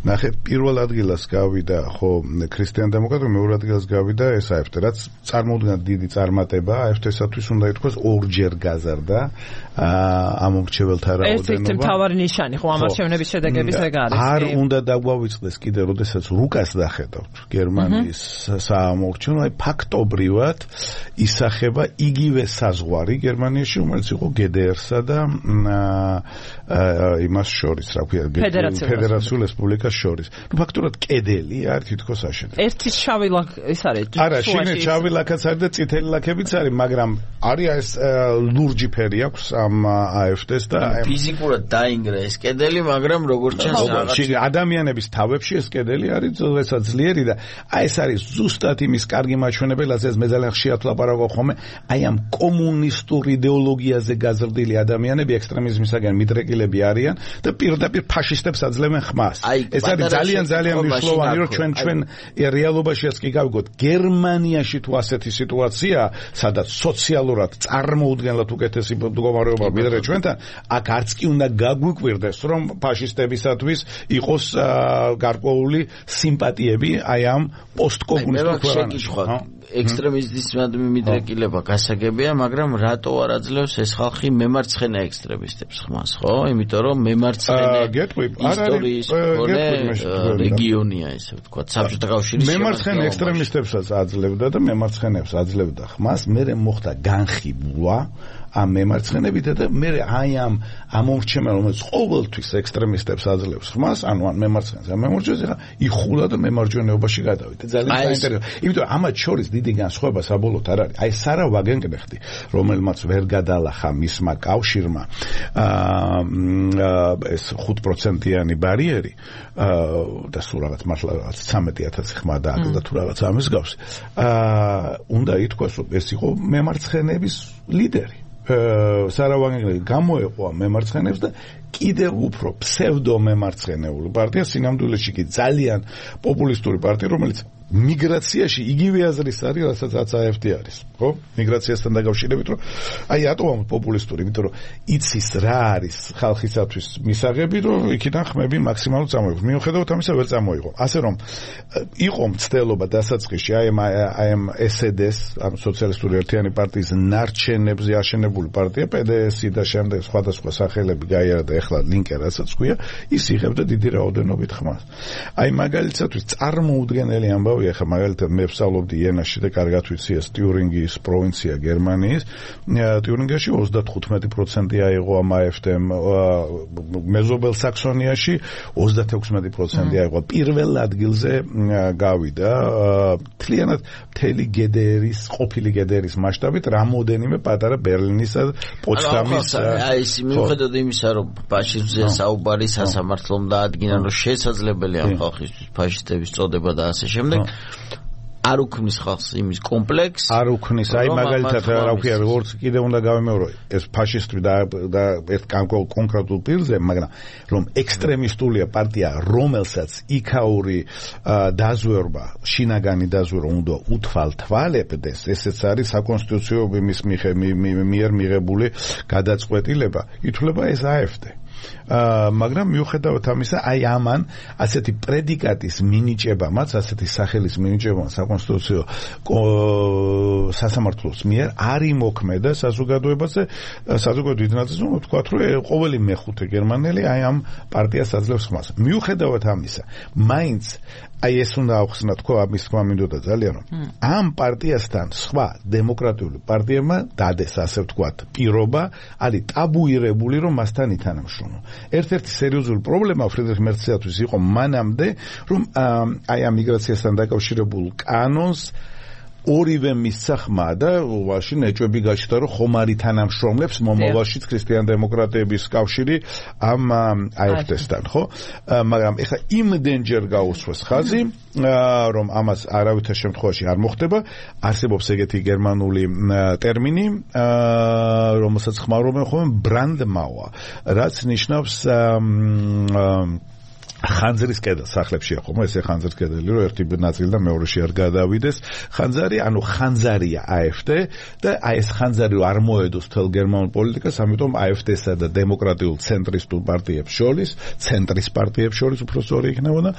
ნახეთ, პირველ ადგილას გავიდა ხო ქრისტიან-დემოკრატი, მეორე ადგილას გავიდა ეს AfD, რაც წარმოუდგენლად დიდი წარმატება AfD-სათვის უნდა ითქვას, ორჯერ გაზარდა ამ მრჩეველთა რაოდენობა. ეს მთავარი ნიშანი ხო ამ არჩევნების შედეგების ეგ არის. არ უნდა დაგვავიწყდეს კიდე, როდესაც რუკას დახედავთ გერმანიის საამორჩევნო, აი ფაქტობრივად ისახება იგივე საზღვარი გერმანიაში, რომელიც იყო გე დე ერსა და იმას შორის, რა ქვია, ფედერაციულ რესპუბლიკას შორის. ნუ ფაქტურად კედელი არ თითქოს აშენდა. ერთი შავი ლაქ ის არის. არა, შინე შავი ლაქაც არის და წითელი ლაქებიც არის, მაგრამ არის ეს ლურჯი ფერი აქვს ამ AfD-ს და ფიზიკურად დაინგრა ეს კედელი, მაგრამ როგორც ჩანს, ადამიანების თავებში ეს კედელი არის ზოგადად ძლიერი და აი ეს არის ზუსტად იმის კარგი მაჩვენებელი, ეს მე ძალიან ხშირად ვლაპარაკობ ხოლმე, აი ამ კომუნისტურ იდეოლოგიაზე გაზრდილი ადამიანები ექსტრემიზმისაგან მიდრეკილები არიან და პირდაპირ ფაშისტებს აძლევენ ხმას. ეს არის ძალიან ძალიან მნიშვნელოვანი, რომ ჩვენ ჩვენ რეალობაშიაც კი გავიგოთ, გერმანიაში თუ ასეთი სიტუაცია, სადაც სოციალურად წარმოუდგენლად უკეთესი მდგომარეობა ვიდრე ჩვენთან, აქ არც კი უნდა გაგვიკვირდეს, რომ ფაშისტებისათვის იყოს გარკვეული სიმპათიები აი ამ პოსტკომუნისტურ ქვეყანაში. ექსტრემიზმის მიდრეკილება გასაგებია, მაგრამ რატო არ აძლევს ეს ხალხი მემარცხენე ექსტრემისტებს ხმას, ხო? იმიტომ რომ მემარცხენე ისტორიის რეგიონია, ესე ვთქვათ, საბჭოთა კავშირის მემარცხენე ექსტრემისტებსაც აძლევდა და მემარცხენეებს აძლევდა ხმას, მერე მოხდა განხილვა ამ მემარცხენებით და მე აი ამ ამორჩევა, რომელიც ყოველთვის ექსტრემისტებს აძლევს ხმას, ანუ ან მემარცხენეს, ან მემარჯვენეს, ახლა იხულა და მემარჯვენეობაში გადავიდა. ძალიან საინტერესო. იმიტომ ამათ შორის დიდი განსხვავება საბოლოოდ არ არის. აი სარა ვაგენკნეხტი, რომელმაც ვერ გადალახა მისმა კავშირმა ეს ხუთ პროცენტიანი ბარიერი და სულ რაღაც მართლა რაღაც ცამეტი ათასი ხმა დააკლდა თუ რაღაც ამის გავს. უნდა ითქვას, რომ ეს იყო მემარცხენეების ლიდერი. სარავანგელი გამოეყვა მემარცხენეებს და კიდევ უფრო ფსევდო მემარცხენეული პარტია, სინამდვილეში კი ძალიან პოპულისტური პარტია, რომელიც მიგრაციაში იგივე აზრის არის, რასაც აეფტი არის, ხო? მიგრაციასთან დაკავშირებით, რომ აი ატომად პოპულისტური, იმიტომ რომ იცის რა არის ხალხისათვის მისაღები, რომ იქიდან ხმები მაქსიმალურად წამოიღოს. მიუხედავად ამისა, ვერ წამოიღო. ასე რომ იყო მცდელობა დასაწყისში აი ამ აი ამ ეს ე დე-ს, ამ სოციალისტური ერთიანი პარტიის ნარჩენებზე აშენებული პარტია, პე დე ესი და შემდეგ სხვადასხვა სახელები გაიარა და ეხლა ლინკე რასაც ქვია, ის იღებდა დიდი რაოდენობით ხმას. აი მაგალითად წარმოუდგენელი ამბავი, ახლა მაგალითად მე ვსწავლობდი იენაში და კარგად ვიცი ეს ტიურინგის პროვინცია გერმანიის. ტიურინგიაში ოცდათხუთმეტი პროცენტი აიღო ამ ა ეფ დე-მ, მეზობელ საქსონიაში ოცდათექვსმეტი პროცენტი აიღო. პირველ ადგილზე გავიდა მთლიანად მთელი გედერის, ყოფილი გედერის მასშტაბით, რამოდენიმე პატარა ბერლინისა და პოცდამის. აი ის მიუხედავად იმისა, რომ ფაშიზმზე საუბარი სასამართლომ დაადგინა, რომ შესაძლებელია ხალხისთვის ფაშისტების წოდება და ასე შემდეგ. არ უქმნის ხალხს იმის კომპლექს არ უქმნის აი მაგალითად რა ვქია როგორც კიდე უნდა გავიმეორო ეს ფაშისტური და და ერთ კონკრეტულ პირზე მაგრამ რომ ექსტრემისტულია პარტია რომელსაც იქაური დაზვერვა შინაგანი დაზვერვა უნდა უთვალთვალებდეს ესეც არის საკონსტიტუციო მის მიერ მიღებული გადაწყვეტილება ითვლება ეს ა ეფ დე მაგრამ მიუხედავად ამისა აი ამან ასეთი პრედიკატის მინიჭებამაც ასეთი სახელის მინიჭებამ საკონსტიტუციო სასამართლოს მიერ არ იმოქმედა საზოგადოებაზე საზოგადოების დიდ ნაწილს რომ ვთქვათ რომ ყოველი მეხუთე გერმანელი აი ამ პარტიას აძლევს ხმას მიუხედავად ამისა მაინც აი ეს უნდა ახსნა თქო ამის თქმა მინდოდა ძალიან რომ ამ პარტიასთან სხვა დემოკრატიული პარტიებმა დადეს ასე ვთქვათ პირობა არის ტაბუირებული რომ მასთან ითანამშრომლო ერთ-ერთი სერიოზული პრობლემა ფრიდრიხ მერცისათვის იყო მანამდე რომ აი ამ მიგრაციასთან დაკავშირებულ კანონს ორივე მისცა ხმა და ულაში ნეჭვები გაჩნდა რომ ხომ არ ითანამშრომლებს მომავალშიც ქრისტიან დემოკრატების კავშირი ამ ა ეფ დე-სთან ხო მაგრამ ეხლა იმდენჯერ გაუსვეს ხაზი რომ ამას არავითარ შემთხვევაში არ მოხდება არსებობს ეგეთი გერმანული ტერმინი რომელსაც ხმარობენ ხოლმე ბრანდმაუა რაც ნიშნავს ხანძრის კედელ სახლებში ხომ ესე ხანძრის კედელი რომ ერთი ნაწილი და მეორეში არ გადავიდეს ხანძარი ანუ ხანძარია ა ეფ დე და აი ეს ხანძარი არ მოედოს თელ გერმანულ პოლიტიკას ამიტომ ა ეფ დე-სა და დემოკრატიულ ცენტრისტულ პარტიებს შორის ცენტრის პარტიებს შორის უფრო სწორი იქნებოდა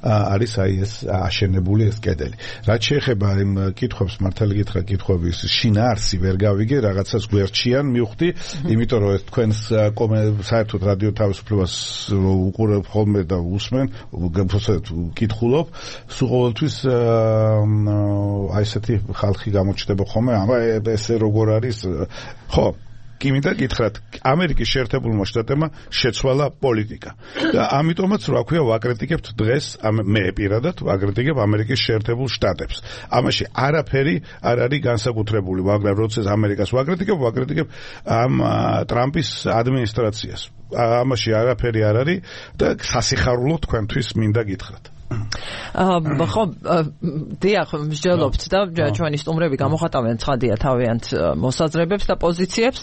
არის აი ეს აშენებული ეს კედელი რაც შეეხება იმ კითხვებს მართალი გითხრა კითხვების შინაარსი ვერ გავიგე რაღაცას გვერდჩიან მივხვდი იმიტომ რომ ეს თქვენს საერთოდ რადიო თავისუფლებას უყურებ ხოლმე და უსმენ კითხულობ სულ ყოველთვის აი ესეთი ხალხი გამოჩნდება ხოლმე აბა ესე როგორ არის ხო კი მინდა გითხრათ ამერიკის შეერთებულმა შტატებმა შეცვალა პოლიტიკა და ამიტომაც რა ქვია ვაკრიტიკებთ დღეს მე პირადად ვაკრიტიკებ ამერიკის შეერთებულ შტატებს ამაში არაფერი არ არის განსაკუთრებული მაგრამ როდესაც ამერიკას ვაკრიტიკებ ვაკრიტიკებ ამ ტრამპის ადმინისტრაციას ამაში არაფერი არ არის და სასიხარულო თქვენთვის მინდა გითხრათ ხო დიახ მსჯელობთ და ჩვენი სტუმრები გამოხატავენ ცხადია თავიანთ მოსაზრებებს და პოზიციებს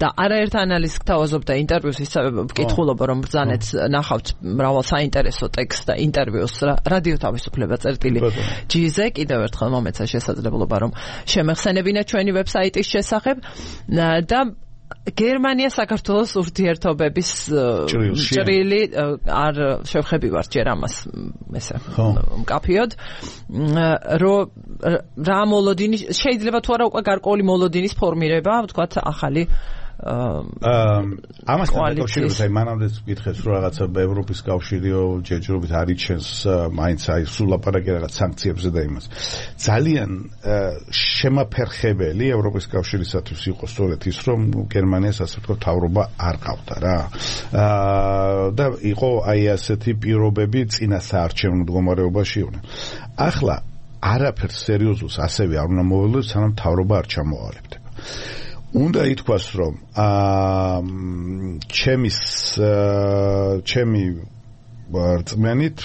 და არაერთ ანალიზს გთავაზობ და ინტერვიუს ისე ვკითხულობ რომ ბრძანეთ ნახავთ მრავალ საინტერესო ტექსტს და ინტერვიუს რადიო თავისუფლება წერტილი ჯი-ზე კიდევ ერთხელ მომეცა შესაძლებლობა რომ შემეხსენებინათ ჩვენი ვებსაიტის შესახებ და გერმანია საქართველოს ურთიერთობების ჭრილი არ შევხებივართ ჯერ ამას ესე მკაფიოდ რომ რა მოლოდინი შეიძლება თუ არა უკვე გარკვეული მოლოდინის ფორმირება ვთქვათ ახალი ამასთან დაკავშირებით აი მანამდეც ვკითხეს რომ რაღაცა ევროპის კავშირიო ჯერჯერობით არიჩენს მაინც აი სულ ლაპარაკი რაღაც სანქციებზე და იმას ძალიან შემაფერხებელი ევროპის კავშირისათვის იყო სწორედ ის რომ გერმანიას ასე ვთქვათ თავრობა არ ყავდა რა და იყო აი ასეთი პირობები წინა საარჩევნო მდგომარეობაში იყვნენ ახლა არაფერს სერიოზულს ასევე არ უნდა მოველოს სანამ თავრობა არ ჩამოავალებდება უნდა ითქვას რომ ჩემის ჩემი რწმენით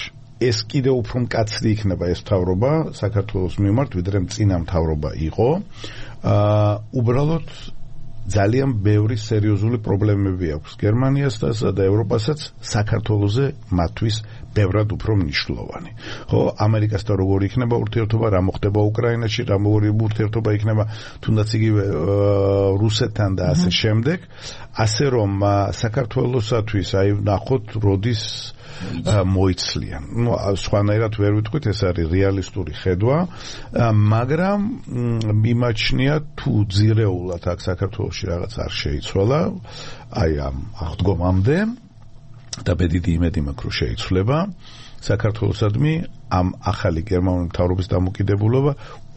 ეს კიდევ უფრო მკაცრი იქნება ეს მთავრობა საქართველოს მიმართ ვიდრე წინა მთავრობა იყო უბრალოდ ძალიან ბევრი სერიოზული პრობლემები აქვს გერმანიასაც და ევროპასაც საქართველოზე მათთვის ბევრად უფრო მნიშვნელოვანი. ხო, ამერიკასთან როგორი იქნება ურთიერთობა, რა მოხდება უკრაინაში, რა როგორი ურთიერთობა იქნება თუნდაც იგივე რუსეთთან და ასე შემდეგ, ასე რომ საქართველოსათვის აი ნახოთ როდის მოიცლიან. ნუ სხვანაირად ვერ ვიტყვით, ეს არის რეალისტური ხედვა, მაგრამ მიმაჩნია თუ ძირეულად აქ საქართველოში რაღაც არ შეიცვალა, აი ამ აღდგომამდე და ბედიდი იმედი მაქვს, რომ შეიცვლება საქართველოსადმი ამ ახალი გერმანული მთავრობის დამოკიდებულება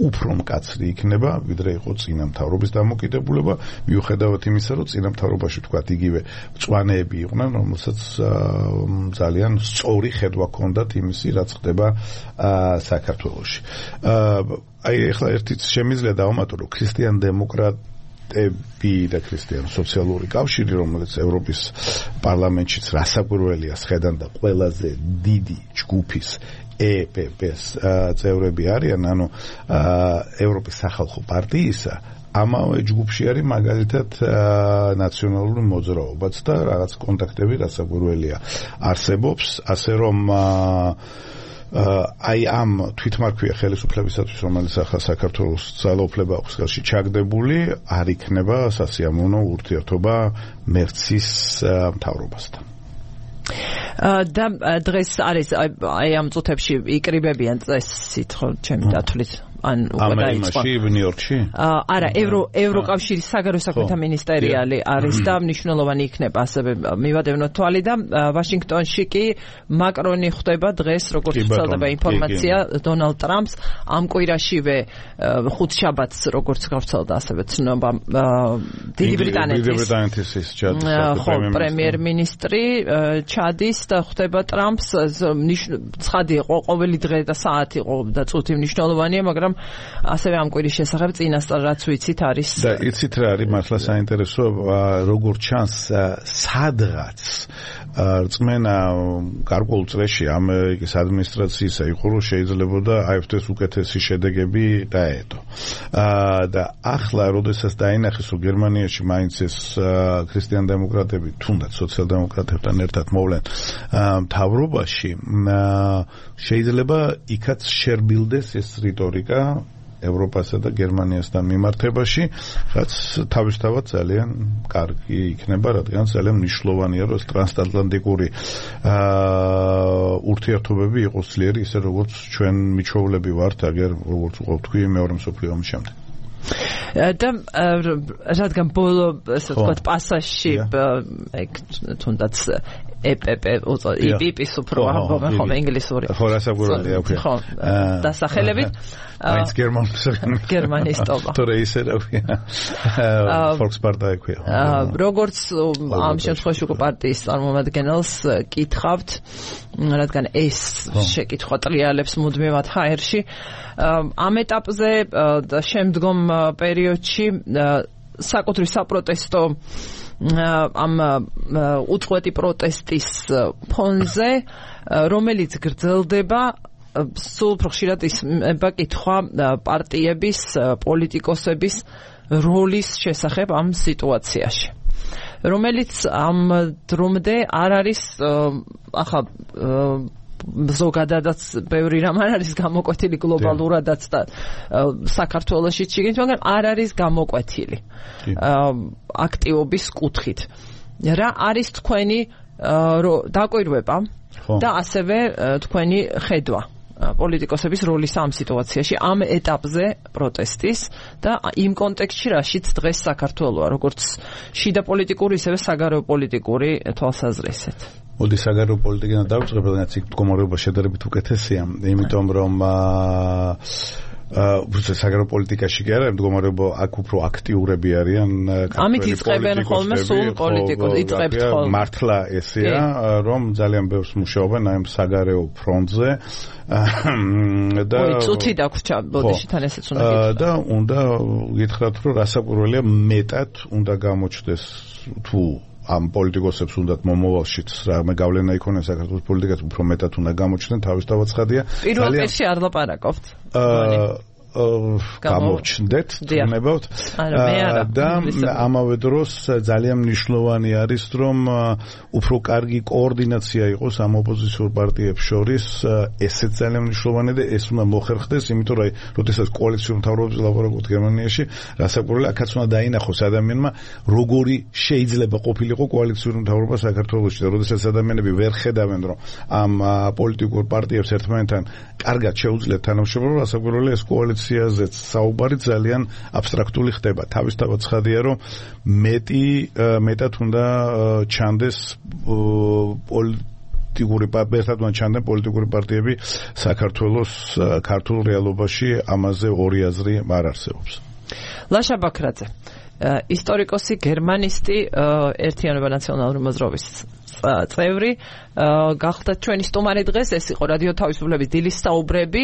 უფრო მკაცრი იქნება, ვიდრე იყო წინა მთავრობის დამოკიდებულება, მიუხედავად იმისა, რომ წინა მთავრობაში თქვათ იგივე მწვანეები იყვნენ, რომელსაც ძალიან სწორი ხედვა ჰქონდათ იმისი, რაც ხდება საქართველოში. აი ახლა ერთიც შემიძლია დავამატო, რომ ქრისტიან დემოკრატ და ქრისტიან სოციალური კავშირი, რომელიც ევროპის პარლამენტშიც რასაკვირველია სხედან და ყველაზე დიდი ჯგუფის E P P-ს წევრები არიან, ანუ ევროპის სახალხო პარტიისა, ამავე ჯგუფში არის მაგალითად ნაციონალური მოძრაობაც და რაღაც კონტაქტები რასაკვირველია არსებობს, ასე რომ აი ამ თვითმარქვია ხელისუფლებისათვის, რომელიც ახლა საქართველოს ძალაუფლება აქვს ხელში ჩაგდებული, არ იქნება სასიამოვნო ურთიერთობა მერცის მთავრობასთან. და დღეს არის აი ამ წუთებში იკრიბებიან წესით, ხო, ჩემი დათვლით. ან უკვე დაიწყო. ამერიკაში, ნიუ-იორკში? არა, ევრო ევროკავშირის საგარეო საქმეთა მინისტერიალი არის და მნიშვნელოვანი იქნება ასევე მივადევნოთ თვალი და ვაშინგტონში კი მაკრონი ხვდება დღეს, როგორც ვრცელდება ინფორმაცია, დონალდ ტრამპს ამ კვირაშივე ხუთშაბათს, როგორც გავრცელდა ასევე ცნობა დიდი ბრიტანეთის პრემიერ-მინისტრი ჩადის და ხვდება ტრამპს. ცხადი იყო, ყოველი დღე და საათი იყო და წუთი მნიშვნელოვანია, მაგრამ ასევე ამ კვირის შესახებ წინასწარ რაც ვიცით არის და იცით რა არის მართლა საინტერესო, როგორც ჩანს სადღაც რწმენა გარკვეულ წრეში ამერიკის ადმინისტრაციისა იყო, რომ შეიძლებოდა აიფ-ს უკეთესი შედეგები დაედო. და ახლა როდესაც დაინახეს, რომ გერმანიაში მაინც ეს ქრისტიან დემოკრატები თუნდაც სოციალ-დემოკრატებთან ერთად მოვლენ მთავრობაში, შეიძლება იქაც შერბილდეს ეს რიტორიკა ევროპასა და გერმანიასთან მიმართებაში, რაც თავისთავად ძალიან კარგი იქნება, რადგან ძალიან მნიშვნელოვანია, რომ ტრანსატლანტიკური ურთიერთობები იყოს ძლიერი, ისე როგორც ჩვენ მიჩვეულები ვართ, აგერ როგორც ვთქვი მეორე მსოფლიო ომის შემდეგ. და რადგან ბოლო ასე ვთქვათ პასაჟში ეგ თუნდაც E P P I P P-ს უფრო ამბობენ ხოლმე ინგლისური. ხო, რასაკვირველია უკვე. ხო, დასახელებით მაინც გერმანს გერმანიის ტობა. თორე ისე რა ქვია. Volkspartei ქვია. როგორც ამ შემთხვევაში უკვე პარტიის წარმომადგენელს კითხავთ, რადგან ეს შეკითხვა ტრიალებს მუდმივად ჰაერში, ამ ეტაპზე და შემდგომ პერიოდში საკუთრივ საპროტესტო ამ უწყვეტი პროტესტის ფონზე, რომელიც გრძელდება, სულ უფრო ხშირად ისმება კითხვა პარტიების, პოლიტიკოსების როლის შესახებ ამ სიტუაციაში, რომელიც ამ დრომდე არ არის ახლა ზოგადადაც ბევრი რამ არ არის გამოკვეთილი გლობალურადაც და საქართველოში ჩიგით, მაგრამ არ არის გამოკვეთილი აქტივობის კუთხით. რა არის თქვენი დაკვირვება და ასევე თქვენი ხედვა პოლიტიკოსების როლის ამ სიტუაციაში, ამ ეტაპზე პროტესტის და იმ კონტექსტში, რაშიც დღეს საქართველოა, როგორც შიდა პოლიტიკური, ისევე საგარეო პოლიტიკური თვალსაზრისით. მოდი საგარეო პოლიტიკიდან დავიწყებ, რადგან იქ მდგომარეობა შედარებით უკეთესია, იმიტომ რომ უბრალოდ საგარეო პოლიტიკაში კი არა, მდგომარეობა აქ უფრო აქტიურები არიან. ამით იწყებენ ხოლმე სულ პოლიტიკოს, იწყებთ ხოლმე. მართლა ესეა, რომ ძალიან ბევრს მუშაობენ ამ საგარეო ფრონტზე. და წუთი დაგვრჩა, ბოდიში თან ესეც უნდა გითხრათ. და უნდა გითხრათ, რომ რასაკვირველია, მეტად უნდა გამოჩნდეს თუ ამ პოლიტიკოსებს უნდათ მომავალშიც რამე გავლენა იქონია საქართველოს პოლიტიკას, უფრო მეტად უნდა გამოჩნდნენ, თავისთავად ცხადია. პირველ პირში არ ლაპარაკობთ. გამოჩნდეთ, თუნებავთ. და ამავე დროს ძალიან მნიშვნელოვანი არის, რომ უფრო კარგი კოორდინაცია იყოს ამ ოპოზიციურ პარტიებს შორის. ესეც ძალიან მნიშვნელოვანია და ეს უნდა მოხერხდეს, იმიტომ რომ როდესაც კოალიციურ მთავრობაზე ლაპარაკობთ გერმანიაში, რასაკვირველია, აქაც უნდა დაინახოს ადამიანმა, როგორი შეიძლება ყოფილიყო კოალიციური მთავრობა საქართველოში და როდესაც ადამიანები ვერ ხედავენ, რომ ამ პოლიტიკურ პარტიებს ერთმანეთთან კარგად შეუძლიათ თანამშრომლობა, რასაკვირველია, ეს კოალიციაზეც საუბარი ძალიან აბსტრაქტული ხდება. თავისთავად ცხადია, რომ მეტი მეტად უნდა ჩანდეს პოლიტიკური პარტიებთან ჩანდნენ პოლიტიკური პარტიები საქართველოს ქართულ რეალობაში, ამაზე ორი აზრი არ არსებობს. ლაშა ბაქრაძე, ისტორიკოსი, გერმანისტი, ერთიანობა ნაციონალური მოძრაობის წევრი, გახდა ჩვენი სტუმარი დღეს. ეს იყო რადიო თავისუფლების დილის საუბრები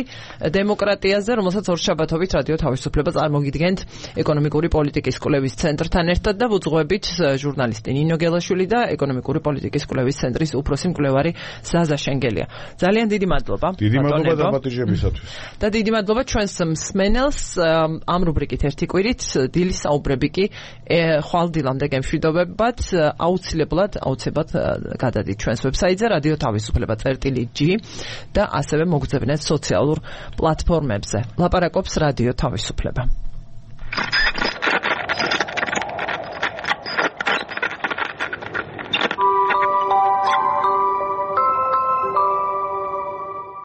დემოკრატიაზე, რომელსაც ორშაბათობით რადიო თავისუფლება წარმოგიდგენთ ეკონომიკური პოლიტიკის კვლევის ცენტრთან ერთად და ვუძღვებით ჟურნალისტი ნინო გელაშვილი და ეკონომიკური პოლიტიკის კვლევის ცენტრის უფროსი მკვლევარი ზაზა შენგელია. ძალიან დიდი მადლობა. დიდი მადლობა დაპატიჟებისათვის. და დიდი მადლობა ჩვენს მსმენელს. ამ რუბრიკით ერთი კვირით დილის საუბრები კი ხვალ დილამდე გემშვიდობებად. აუცილებლად აუცილებლად გადადით ჩვენს ვებსაიტზე რადიო თავისუფლება წერტილი ჯი და ასევე მოგძებნეთ სოციალურ პლატფორმებზე. ლაპარაკობს რადიო თავისუფლება.